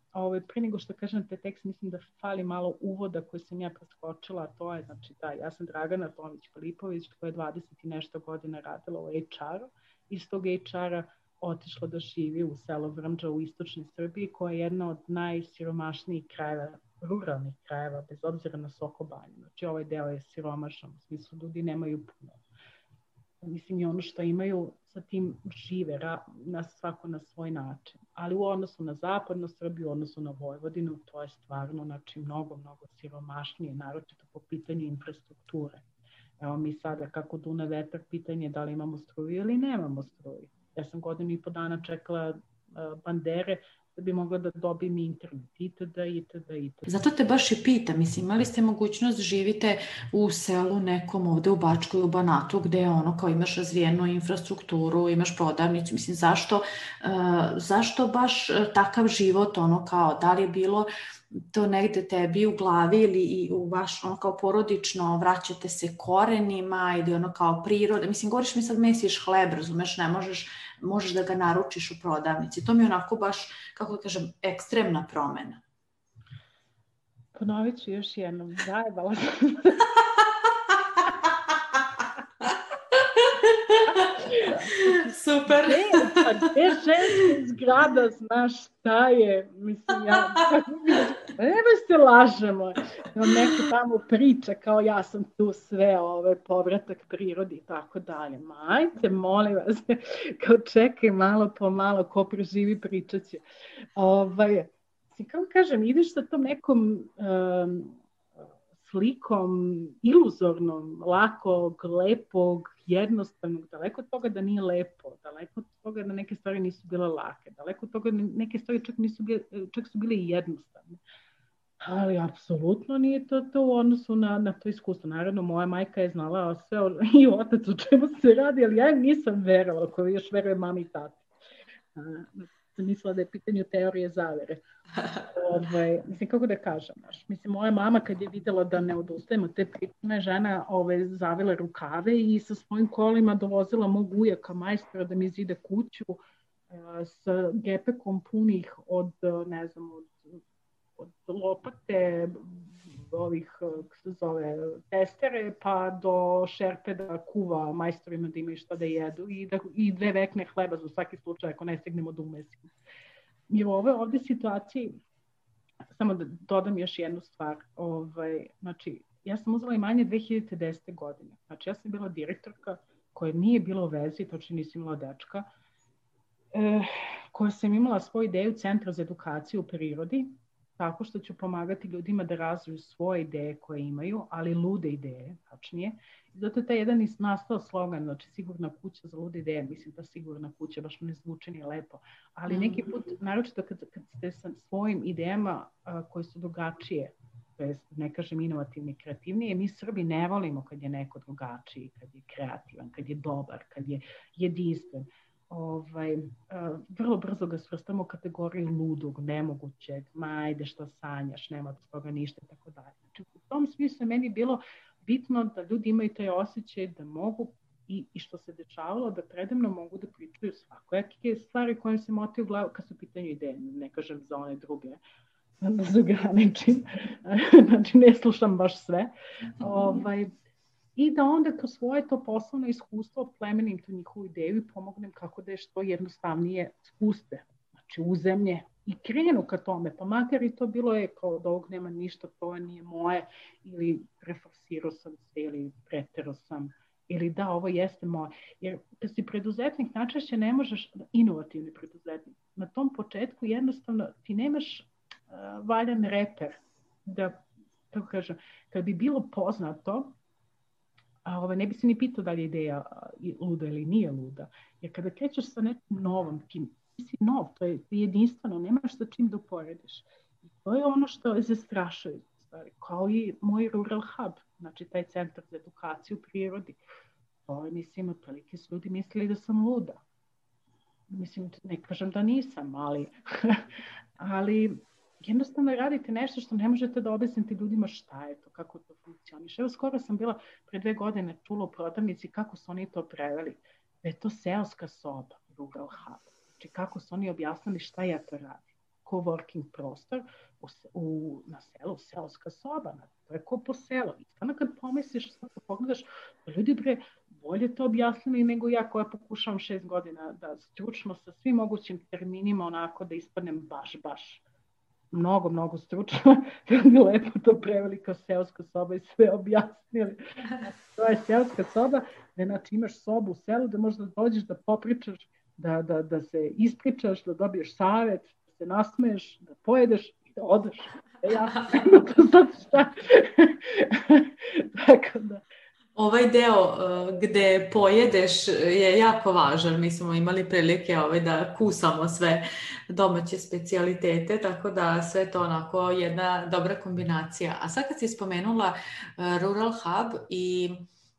Speaker 2: prije nego što kažem te tekst, mislim da fali malo uvoda koji sam ja preskočila, a to je, znači da, ja sam Dragana Tomić-Filipović, koja je 20 i nešto godina radila u HR-u, iz tog HR-a otišla da živi u selo Vrmđa u istočnoj Srbiji, koja je jedna od najsiromašnijih krajeva, ruralnih krajeva, bez obzira na Sokobanju. Znači ovaj deo je siromašan, u smislu ljudi nemaju puno. Mislim i ono što imaju sa tim žive svako na svoj način. Ali u odnosu na zapadnu Srbiju, u odnosu na Vojvodinu, to je stvarno znači, mnogo siromašnije, naročito po pitanju infrastrukture. Evo mi sada kako dune vetar, pitanje da li imamo struju ili nemamo struju. Ja sam 1.5 godina čekala bandere da bi mogla da dobijem internet, itd.
Speaker 1: Zato te baš i pitam, mislim, imali ste mogućnost živite u selu nekom ovde u Bačkoj, u Banatu, gde ono kao imaš razvijenu infrastrukturu, imaš prodavnicu, mislim, zašto baš takav život, ono kao, da li je bilo to negde tebi u glavi ili i u vaš, ono kao porodično, vraćate se korenima ili ono kao priroda, mislim, govoriš mi sad mesiš hleb, razumeš, ne možeš da ga naručiš u prodavnici. To mi je onako baš, kako da kažem, ekstremna promena.
Speaker 2: Ponovit ću još jednom, zajebala sam.
Speaker 1: Super.
Speaker 2: Gde ženska zgrada, znaš šta je? Mislim, nema se lažemo. Neka tamo priča kao ja sam tu sve, povratak prirodi i tako dalje. Majte, molim vas, kao čekaj malo po malo, ko preživi pričat će. Kao kažem, ideš sa tom nekom slikom iluzornom, lakog, lepog, jednostavnog, daleko od toga da nije lepo, daleko od toga da neke stvari nisu bile lake, daleko od toga da neke stvari čak su bile i jednostavne. Ali apsolutno nije to u odnosu na to iskustvo. Naravno, moja majka je znala sve i otac o čemu se radi, ali ja im nisam verovala, koja još veruje mami i tati. Sam mislila da je pitanje teorije zavere. Mislim, kako da kažem, mislim, moja mama kad je videla da ne odustajemo te priče, žena zavila rukave i sa svojim kolima dovozila mog ujaka majstora da mi zide kuću sa gepekom punih od lopate, kako se zove, testere, pa do šerpe da kuva majstorima da imaju šta da jedu i 2 vekne hleba za svaki slučaj ako ne stignemo da umesimo. I u ovdje situaciji, samo da dodam još jednu stvar, znači, ja sam uzela imanje 2010. godine, znači ja sam bila direktorka koja nije bila u vezi, točno nisam imala dečka, koja sam imala svoju ideju Centra za edukaciju u prirodi, tako što ću pomagati ljudima da razviju svoje ideje koje imaju, ali lude ideje, tačnije. I zato je taj jedan nastao slogan, znači sigurna kuća za lude ideje, mislim da sigurna kuća, baš ne zvuči ni lepo, ali neki put, naročito kad ste sa svojim idejama koje su drugačije, to jest ne kažem inovativne i kreativnije, mi Srbi ne volimo kad je neko drugačiji, kad je kreativan, kad je dobar, kad je jedinstven. Vrlo brzo ga svrstamo u kategoriju ludog, nemogućeg, ajde što sanjaš, nema od toga ništa i tako dalje. Znači, u tom smislu je meni bilo bitno da ljudi imaju taj osjećaj da mogu i što se dešavalo, da predemno mogu da pričaju svakojake stvari koje se motaju u glavu kad su pitanju ideje, ne kažem za one druge, da se ograničim, znači ne slušam baš sve. I da onda kroz svoje to poslovno iskustvo plemenim tu njihovu ideju i pomognem kako da je što jednostavnije spuste, znači uzemlje i krenu ka tome, pa makar i to bilo je kao od ovog nema ništa, to nije moje, ili preforsirao sam se, ili preterao sam, ili da, ovo jeste moje. Jer kad si preduzetnik, najčešće ne možeš, inovativni preduzetnik, na tom početku jednostavno ti nemaš valjan reper, da, tako kažem, kad bi bilo poznato, ne bi se ni pitao da li je ideja luda ili nije luda. Jer kada krećeš sa nekim novom, ti si nov, to je jedinstveno, nemaš sa čim da uporediš. I to je ono što je zastrašujuće, kao i moj Rural Hub, znači taj centar za edukaciju u prirodi. To je, mislim, otprilike su ljudi mislili da sam luda. Mislim, ne kažem da nisam, ali jednostavno radite nešto što ne možete da objasnite ljudima šta je to, kako to funkcioniše. Evo, skoro sam bila pre 2 godine čula u prodavnici kako su oni to preveli. Da je to seoska soba, Rural Hub. Znači, kako su oni objasnili šta ja to radim. Coworking prostor na selu, seoska soba. To je ko po selu. I stvarno kad pomisliš, sad pogledaš, ljudi bolje to objasnili nego ja koja pokušavam 6 godina da stručno sa svim mogućim terminima onako da ispadnem baš mnogo stručno, da bi lepo to preveli kao seoska soba i sve objasnili. To je seoska soba, da znači imaš sobu u selu, da možda dođeš da popričaš, da se ispričaš, da dobiješ savjet, da se nasmeješ, da pojedeš i da odeš. Ja, to sad šta? Tako da.
Speaker 1: Ovaj deo gde pojedeš je jako važan. Mi smo imali prilike da kusamo sve domaće specijalitete, tako da sve to onako jedna dobra kombinacija. A sad kad si spomenula Rural Hub i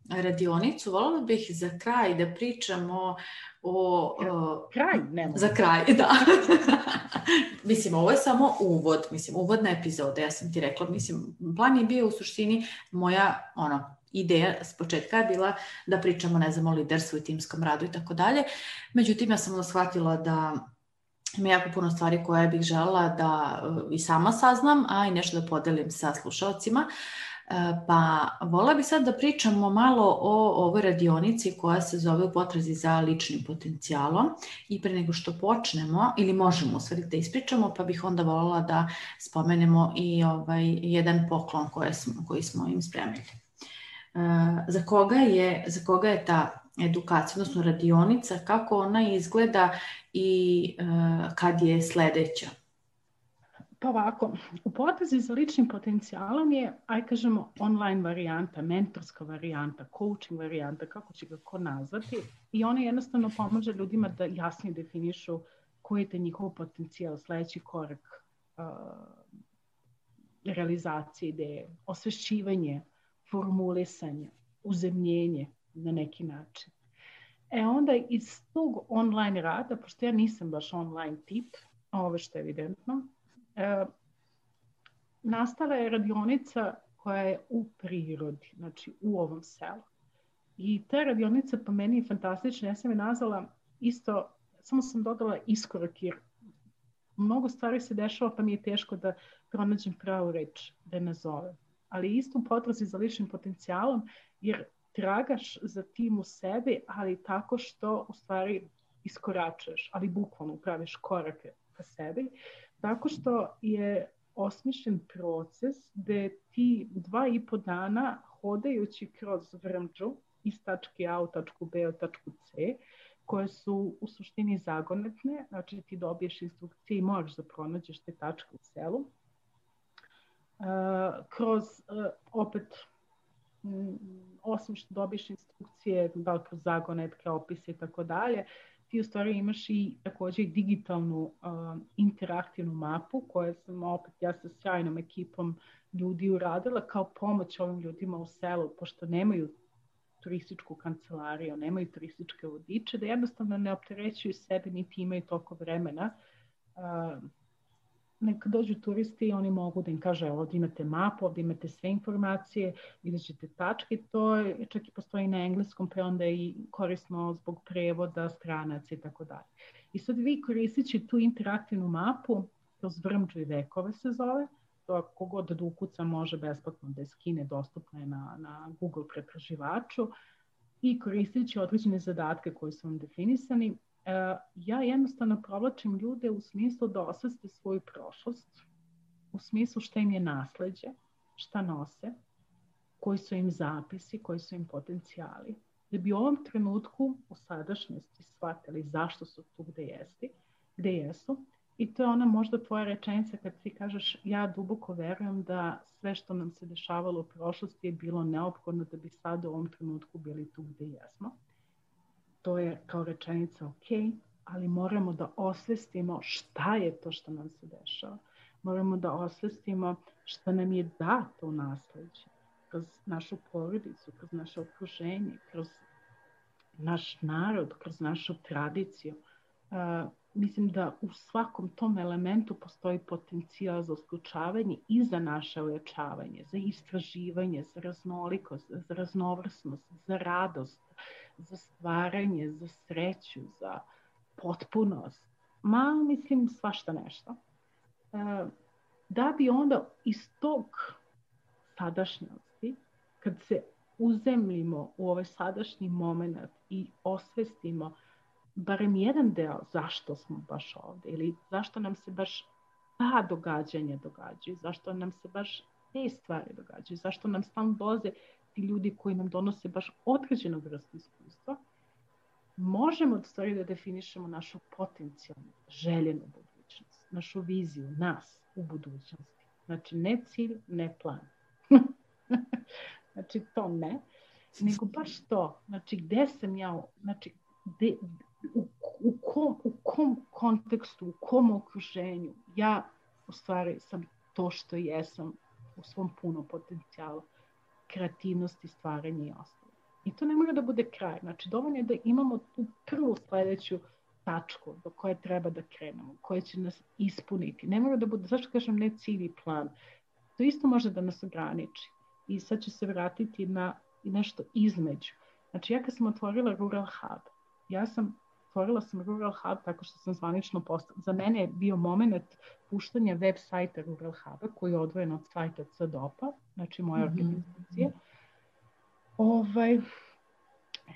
Speaker 1: radionicu, voljela bih za kraj da pričamo o... Za kraj, da. Mislim, ovo je samo uvod, uvodna epizoda, ja sam ti rekla, plan je bio u suštini moja, ideja s početka je bila da pričamo, o liderstvu i timskom radu i tako dalje. Međutim, ja sam shvatila da ima jako puno stvari koje bih želela da i sama saznam, a i nešto da podelim sa slušalcima. Pa voljela bih sad da pričamo malo o ovoj radionici koja se zove U potrazi za ličnim potencijalom i pre nego što počnemo, ili možemo sve da ispričamo, pa bih onda voljela da spomenemo i jedan poklon koji smo im spremili. Za koga je ta edukacija, odnosno radionica, kako ona izgleda i kad je sledeća?
Speaker 2: Pa ovako, U potrazi za ličnim potencijalom je, kažemo, online varijanta, mentorska varijanta, coaching varijanta, kako će ga ko nazvati, i ona jednostavno pomaže ljudima da jasnije definišu koji je njihov potencijal, sledeći korak realizacije ideje, osvešćivanje, formulisanje, uzemljenje na neki način. Onda iz tog online rada, pošto ja nisam baš online tip, ovo što je evidentno, nastala je radionica koja je u prirodi, znači u ovom selu. I ta radionica po meni je fantastična, ja sam je nazvala isto, samo sam dodala iskorak, jer mnogo stvari se dešava pa mi je teško da pronađem pravu reč da je nazovem. Ali isto u potrazi za ličnim potencijalom, jer tragaš za tim u sebi, ali tako što u stvari iskoračuješ, ali bukvalno praviš korake ka sebi, tako što je osmišljen proces gde ti 2,5 dana hodajući kroz Vrmđu iz tačke A u tačku B u tačku C, koje su u suštini zagonetne, znači ti dobiješ instrukcije i možeš da pronađeš te tačke u selu. Kroz, opet, osim što dobiješ instrukcije, da li kroz zagonetke, opise i tako dalje, ti u stvari imaš i također digitalnu interaktivnu mapu koju sam opet ja sa sjajnom ekipom ljudi uradila kao pomoć ovim ljudima u selu, pošto nemaju turističku kancelariju, nemaju turističke vodiče, da jednostavno ne opterećuju sebe niti imaju toliko vremena. Neka dođu turisti i oni mogu da im kaže ovdje imate mapu, ovdje imate sve informacije, vidjet ćete tačke, to je, čak i postoji na engleskom, pa onda je i korisno zbog prevoda stranaca i tako dalje. I sad vi koristeći tu interaktivnu mapu, kroz Vrmđu i vekove se zove, to ako god da ukuca može besplatno da je skine, dostupno je na Google pretraživaču, i koristeći određene zadatke koji su vam definisani, ja jednostavno provlačim ljude u smislu da osveste svoju prošlost, u smislu šta im je nasleđe, šta nose, koji su im zapisi, koji su im potencijali, da bi u ovom trenutku u sadašnjosti shvatili zašto su tu gde jesu I to je ona možda tvoja rečenica kad ti kažeš ja duboko verujem da sve što nam se dešavalo u prošlosti je bilo neophodno da bi sad u ovom trenutku bili tu gdje jesmo. To je kao rečenica ok, ali moramo da osvestimo šta je to što nam se dešava. Moramo da osvestimo šta nam je dato u nasleđe, kroz našu porodicu, kroz naše okruženje, kroz naš narod, kroz našu tradiciju. Mislim da u svakom tom elementu postoji potencijal za usključavanje i za naše ojačavanje, za istraživanje, za raznolikost, za raznovrsnost, za radost, za stvaranje, za sreću, za potpunost. Mislim svašta nešto. Da bi onda iz tog sadašnjosti, kad se uzemljimo u ovaj sadašnji moment i osvestimo barem jedan deo zašto smo baš ovdje ili zašto nam se baš ta događanja događaju, zašto nam se baš te stvari događaju, zašto nam stalno dolaze ti ljudi koji nam donose baš određenu vrstu iskustva, možemo u stvari da definišemo našu potencijalnu, željenu budućnost, našu viziju, nas u budućnosti. Znači, ne cilj, ne plan. Znači, to ne, nego baš to. Znači, gde sam ja, znači, u kom kontekstu, u kom okruženju ja u stvari sam to što jesam u svom punom potencijalu, kreativnosti, stvaranja i ostalo. I to ne mora da bude kraj. Znači, dovoljno je da imamo tu prvu sljedeću tačku do koje treba da krenemo, koje će nas ispuniti. Ne mora da bude, zašto kažem ne cilj i plan? To isto može da nas ograniči. I sad ću se vratiti na nešto između. Znači, ja kad sam otvorila Rural Hub, otvorila sam Rural Hub tako što sam zvanično postala. Za mene je bio moment puštanja web sajta Rural Huba koji je odvojen od sajta CDOP-a, znači moje organizacije.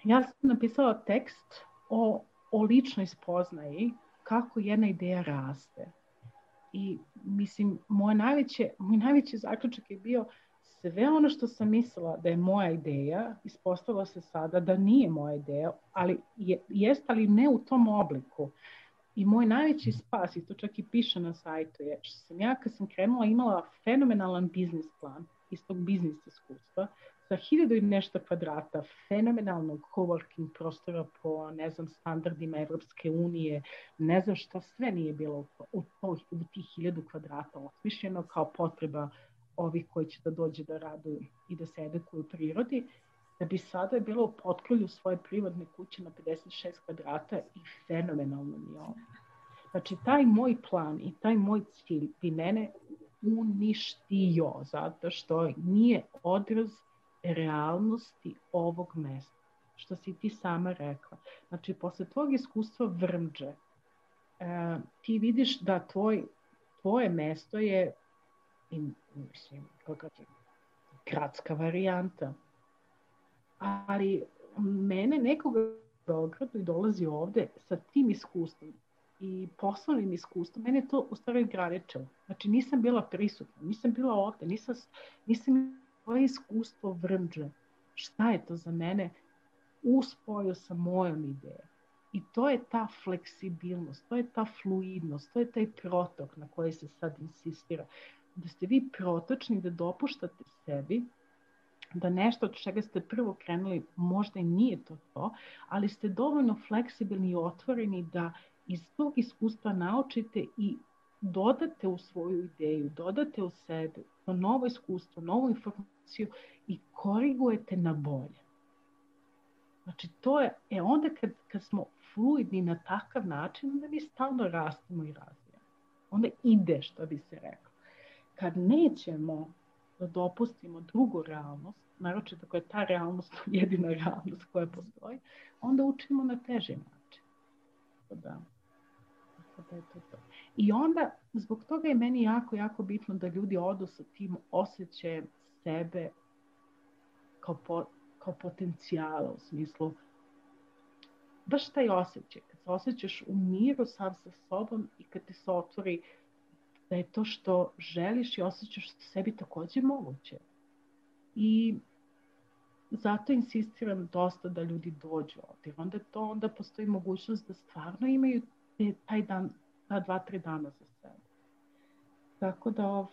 Speaker 2: Ja sam napisala tekst o ličnoj spoznaji kako jedna ideja raste. I mislim, moj najveći zaključak je bio sve ono što sam mislila da je moja ideja, ispostavilo se sada da nije moja ideja, ali jest, ali ne u tom obliku. I moj najveći spas, i to čak i piše na sajtu, je što sam ja kad sam krenula imala fenomenalan biznis plan iz tog biznis iskustva sa 1000 i nešto kvadrata, fenomenalnog coworking prostora po, ne znam, standardima Evropske unije, ne znam šta sve nije bilo u tih 1000 kvadrata osmišljeno kao potreba ovih koji će da dođe da radu i da se edukuju u prirodi, da bi sada je bilo u potkrulju svoje privatne kuće na 56 kvadrata i fenomenalno mi je ovo. Znači, taj moj plan i taj moj cilj bi mene uništio, zato što nije odraz realnosti ovog mesta, što si ti sama rekla. Znači, posle tvojeg iskustva Vrmđe, ti vidiš da tvoje mesto je gradska varijanta. Ali mene nekoga u Beogradu i dolazi ovde sa tim iskustvom i poslovnim iskustvom, mene je to u stvari ograničilo. Znači, nisam bila prisutna, nisam bila ovde, nisam imala iskustvo Vrmđe. Šta je to za mene u spoju sa mojom idejom? I to je ta fleksibilnost, to je ta fluidnost, to je taj protok na koji se sad insistira. Da ste vi protočni, da dopuštate sebi da nešto od čega ste prvo krenuli možda i nije to, ali ste dovoljno fleksibilni i otvoreni da iz tog iskustva naučite i dodate u svoju ideju, dodate u sebe to novo iskustvo, novu informaciju i korigujete na bolje. Znači, to je, onda kad smo fluidni na takav način, onda mi stalno rastemo i razvijamo. Onda ide, što bi se reklo. Kad nećemo da dopustimo drugu realnost, naročito ako je ta realnost jedina realnost koja postoji, onda učimo na teži način. Da je to. I onda, zbog toga je meni jako, jako bitno da ljudi odu sa tim osjećajem sebe kao potencijala, u smislu baš taj osjećaj, kad se osjećaš u miru sam sa sobom i kad ti se otvori da je to što želiš i osjećaš sebi također moguće. I zato insistiram dosta da ljudi dođu ovdje. Onda postoji mogućnost da stvarno imaju taj dan 2-3 dana za sebe. Tako da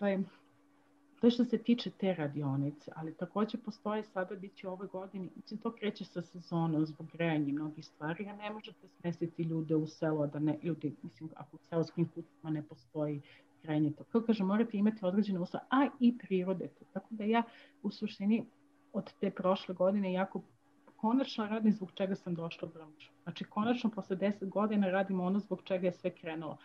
Speaker 2: to je što se tiče te radionice, ali također postoje sada, bit će ove godine, to kreće sa sezonom zbog grejanja mnogih stvari, a ne možete smestiti ljude u selo, da ne, ljudi, mislim, ako u seoskim kućama ne postoji grejanje, to kao kažem, morate imati određene uslove, a i prirode. Tako da ja u suštini od te prošle godine jako konačno radim zbog čega sam došla u branšu. Znači, konačno posle 10 godina radim ono zbog čega je sve krenulo.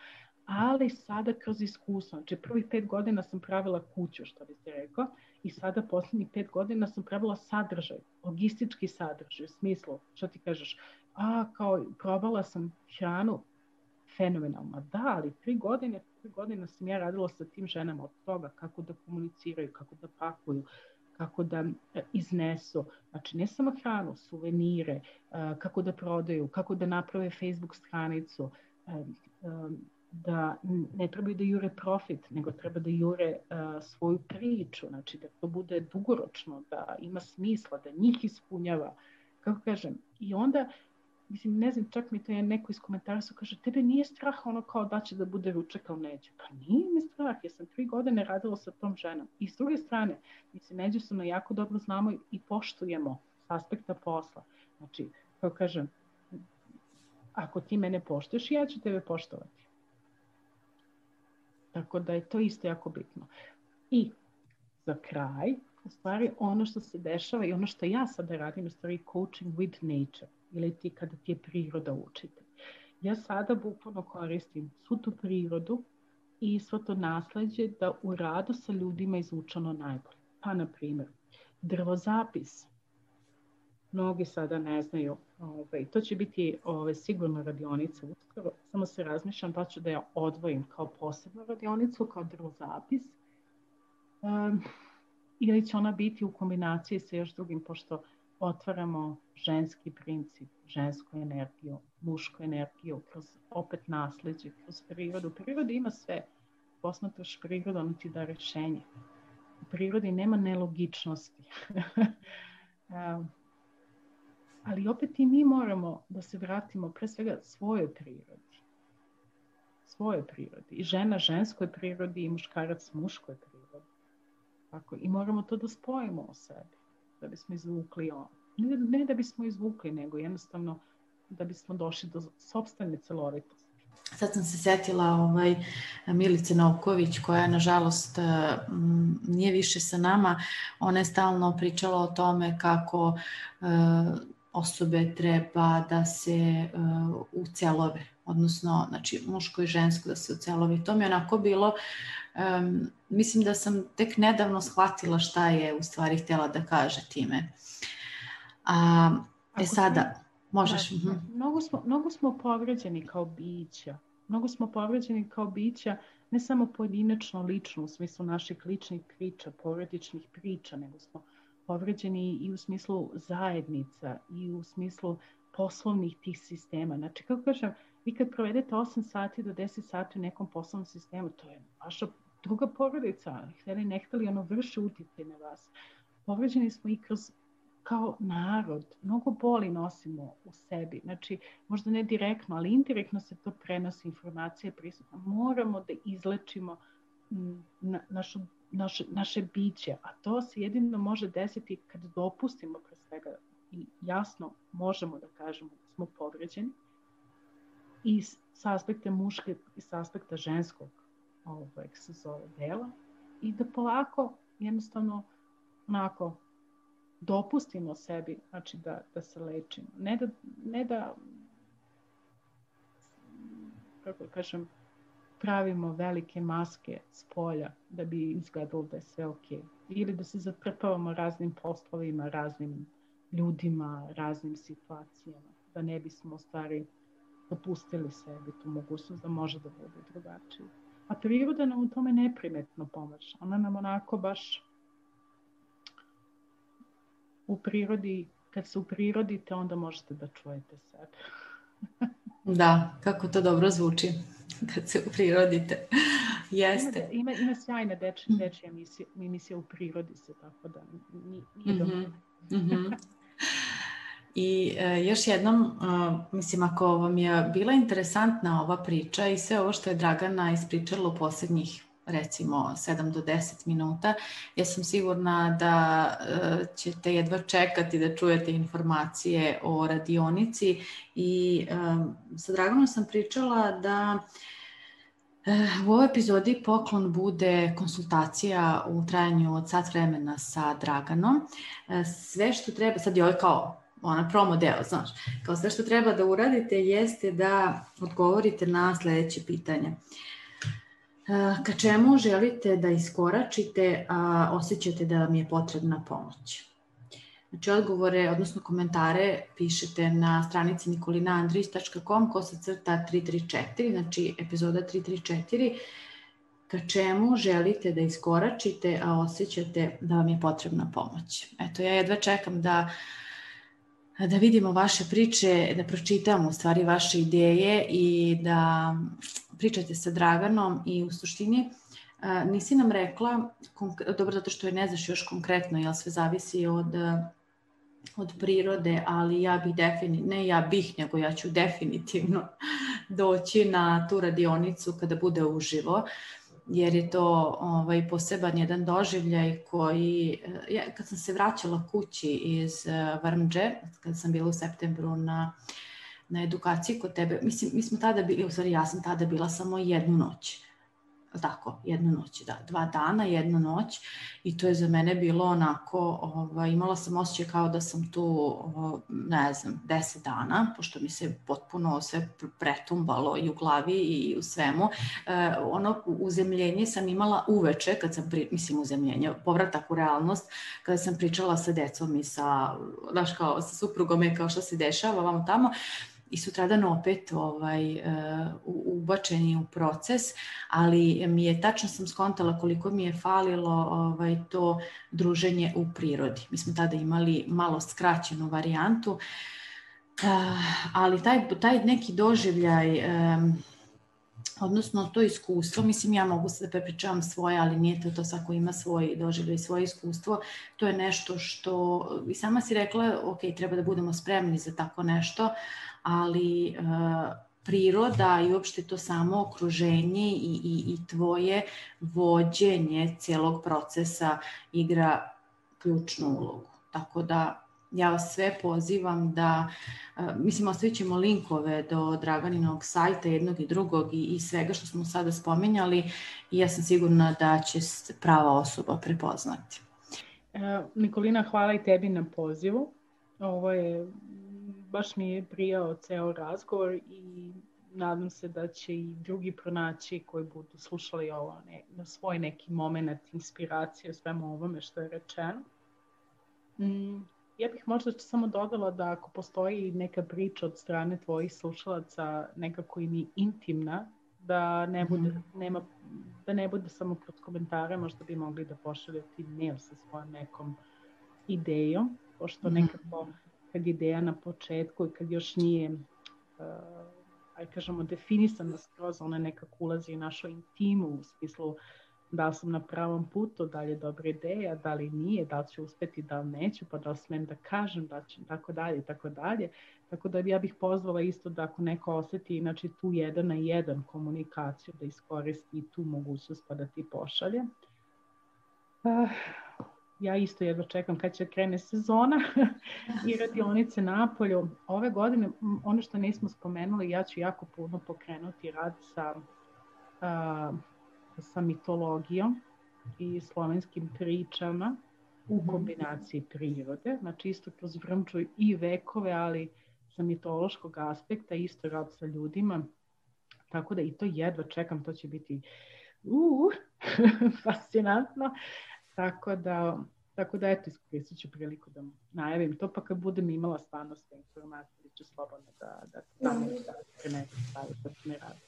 Speaker 2: Ali sada kroz iskustvo, znači prvih 5 godina sam pravila kuću, što bi se rekao, i sada posljednjih 5 godina sam pravila sadržaj, logistički sadržaj, u smislu, što ti kažeš, kao probala sam hranu, fenomenalno, da, ali 3 godine sam ja radila sa tim ženama od toga kako da komuniciraju, kako da pakuju, kako da iznesu, znači ne samo hranu, suvenire, kako da prodaju, kako da naprave Facebook stranicu, da ne trebaju da jure profit, nego treba da jure svoju priču, znači da to bude dugoročno, da ima smisla, da njih ispunjava, kako kažem. I onda, mislim, ne znam, čak mi to je neko iz komentara su kaže, tebe nije strah ono kao da će da bude ručak kao Neđe. Pa nije mi strah, jer sam 3 godine radila sa tom ženom. I s druge strane, mi se međusobno jako dobro znamo i poštujemo s aspekta posla. Znači, kao kažem, ako ti mene poštuješ, ja ću tebe poštovati. Tako da je to isto jako bitno. I za kraj, u stvari ono što se dešava i ono što ja sada radim, u stvari coaching with nature, ili ti kada ti je priroda učitelj. Ja sada bukvalno koristim svu tu prirodu i svo to nasleđe da u radu sa ljudima izvučeno najbolje. Pa, na primjer, drvozapis. Mnogi sada ne znaju. To će biti sigurno radionica uskoro. Samo se razmišljam da ću da ja odvojim kao posebnu radionicu, kao drvozapis. Ili će ona biti u kombinaciji sa još drugim, pošto otvaramo ženski princip, žensku energiju, mušku energiju, kroz opet nasleđe, kroz prirodu. U prirodi ima sve. Posmatraš prirodu, ono ti da rešenje. U prirodi nema nelogičnosti. Ali opet i mi moramo da se vratimo pre svega svojoj prirodi. Svojoj prirodi. I žena ženskoj prirodi i muškarac muškoj prirodi. Tako, i moramo to da spojimo u sebi. Da bismo izvukli ono. Ne da bismo izvukli, nego jednostavno da bismo došli do sopstvene celovitosti.
Speaker 1: Sad sam se sjetila Milice Novković, koja nažalost nije više sa nama. Ona je stalno pričala o tome kako osobe treba da se ucelove, odnosno znači, muško i žensko da se ucelove. To mi je onako bilo, mislim da sam tek nedavno shvatila šta je u stvari htjela da kaže time. Sada, možeš.
Speaker 2: Mnogo smo povređeni kao bića. Mnogo smo povređeni kao bića, ne samo pojedinačno, lično, u smislu naših ličnih priča, porodičnih priča, nego smo povređeni i u smislu zajednica i u smislu poslovnih tih sistema. Znači, kako kažem, vi kad provedete 8 sati do 10 sati u nekom poslovnom sistemu, to je vaša druga porodica. Htjeli ne htjeli, ono vrši utjecaj na vas. Povređeni smo i kroz kao narod, mnogo boli nosimo u sebi. Znači, možda ne direktno, ali indirektno se to prenosi, informacije prisutno. Moramo da izlečimo naše biće, a to se jedino može desiti kad dopustimo pre svega i jasno možemo da kažemo da smo povređeni i s aspekta muške i s aspekta ženskog se zove dela i da polako jednostavno onako dopustimo sebi, znači da se lečimo. Ne da kako kažem, pravimo velike maske s polja da bi izgledalo da je sve ok. Ili da se zatrpavamo raznim poslovima, raznim ljudima, raznim situacijama. Da ne bismo u stvari dopustili sebi tu mogućnost da može da bude drugačije. A priroda nam u tome neprimetno pomaže. Ona nam onako baš u prirodi, kad se uprirodite, onda možete da čujete sebe.
Speaker 1: Da, kako to dobro zvuči kad se uprirodite. Jeste.
Speaker 2: Ima sjajna dečja emisija u prirodi se, tako da nije dobro.
Speaker 1: I još jednom, mislim, ako vam je bila interesantna ova priča i sve ovo što je Dragana ispričala u posljednjih recimo 7 do 10 minuta, ja sam sigurna da ćete jedva čekati da čujete informacije o radionici i sa Draganom sam pričala da u ovoj epizodi poklon bude konsultacija u trajanju od sat vremena sa Draganom. Sve što treba, sad je ovo kao promo deo, znaš, kao sve što treba da uradite jeste da odgovorite na sljedeće pitanje. Ka čemu želite da iskoračite, a osjećate da vam je potrebna pomoć? Znači, odgovore, odnosno komentare pišete na stranici nikolinaandrić.com/334, znači epizoda 334, ka čemu želite da iskoračite, a osjećate da vam je potrebna pomoć. Eto, ja jedva čekam da vidimo vaše priče, da pročitamo u stvari vaše ideje i da pričate sa Draganom i u suštini nisi nam rekla, dobro zato što je ne znaš još konkretno, jer sve zavisi od prirode, ali ja ću definitivno doći na tu radionicu kada bude uživo, jer je to poseban jedan doživljaj koji, kad sam se vraćala kući iz Vrmđe, kad sam bila u septembru na edukaciji kod tebe, mislim, mi smo tada bili, u stvari ja sam tada bila samo jednu noć. Tako, jednu noć, da, 2 dana, jednu noć i to je za mene bilo onako, imala sam osjećaj kao da sam tu, 10 dana, pošto mi se potpuno sve pretumbalo i u glavi i u svemu. Uzemljenje sam imala uveče, kad sam, povratak u realnost, kada sam pričala sa decom i sa suprugom i kao što se dešava vamo tamo. I sutradan opet ubačeni u proces, ali tačno sam skontala koliko mi je falilo to druženje u prirodi. Mi smo tada imali malo skraćenu varijantu, ali taj neki doživljaj, odnosno to iskustvo, mislim ja mogu se da prepričavam svoje, ali nije to svako ima svoj doživljaj, svoje iskustvo, to je nešto što, i sama si rekla, ok, treba da budemo spremni za tako nešto, ali priroda i uopšte to samo okruženje i tvoje vođenje cijelog procesa igra ključnu ulogu. Tako da ja vas sve pozivam da, ostavit ćemo linkove do Draganinog sajta jednog i drugog i svega što smo sada spominjali i ja sam sigurna da će prava osoba prepoznati.
Speaker 2: Nikolina, hvala i tebi na pozivu. Ovo je baš mi je prijao ceo razgovor i nadam se da će i drugi pronaći koji budu slušali ovo na svoj neki moment inspiracije o svemu ovome što je rečeno. Ja bih možda samo dodala da ako postoji neka priča od strane tvojih slušalaca nekako im je intimna, da ne bude samo kroz komentare, možda bi mogli da pošaljete mail sa svojom nekom idejom, pošto nekako kad ideja na početku i kad još nije definisana skroz, ona nekako ulazi u našu intimu u smislu da li sam na pravom putu, da li je dobra ideja, da li nije, da li ću uspjeti, da li neću, pa da li smijem da kažem, da ću, tako dalje. Tako da ja bih pozvala isto da ako neko osjeti inače tu 1 na 1 komunikaciju, da iskoristi tu mogućnost pa da ti pošalje. Ja isto jedva čekam kad će krene sezona i radionice napolju. Ove godine, ono što nismo spomenuli, ja ću jako puno pokrenuti rad sa mitologijom i slovenskim pričama u kombinaciji prirode. Znači isto kroz Vrmču i vekove, ali sa mitološkog aspekta, isto rad sa ljudima. Tako da i to jedva čekam, to će biti fascinantno. Tako da eto, iskoristit ću priliku da najavim to, pa kad budem imala stvarno sve informacije, ću slobodno da tamo da prenesu stavi što će mi raditi.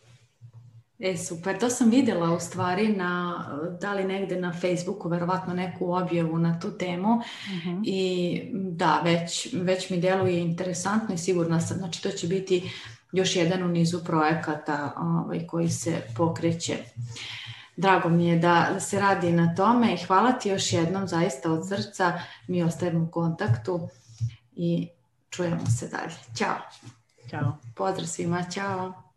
Speaker 1: Super, to sam vidjela u stvari da li negde na Facebooku, verovatno neku objavu na tu temu i da, već mi deluje interesantno i sigurna sam, znači to će biti još jedan u nizu projekata koji se pokreće. Drago mi je da se radi na tome i hvala ti još jednom zaista od srca, mi ostajemo u kontaktu i čujemo se dalje. Ćao.
Speaker 2: Ćao.
Speaker 1: Pozdrav svima, ćao.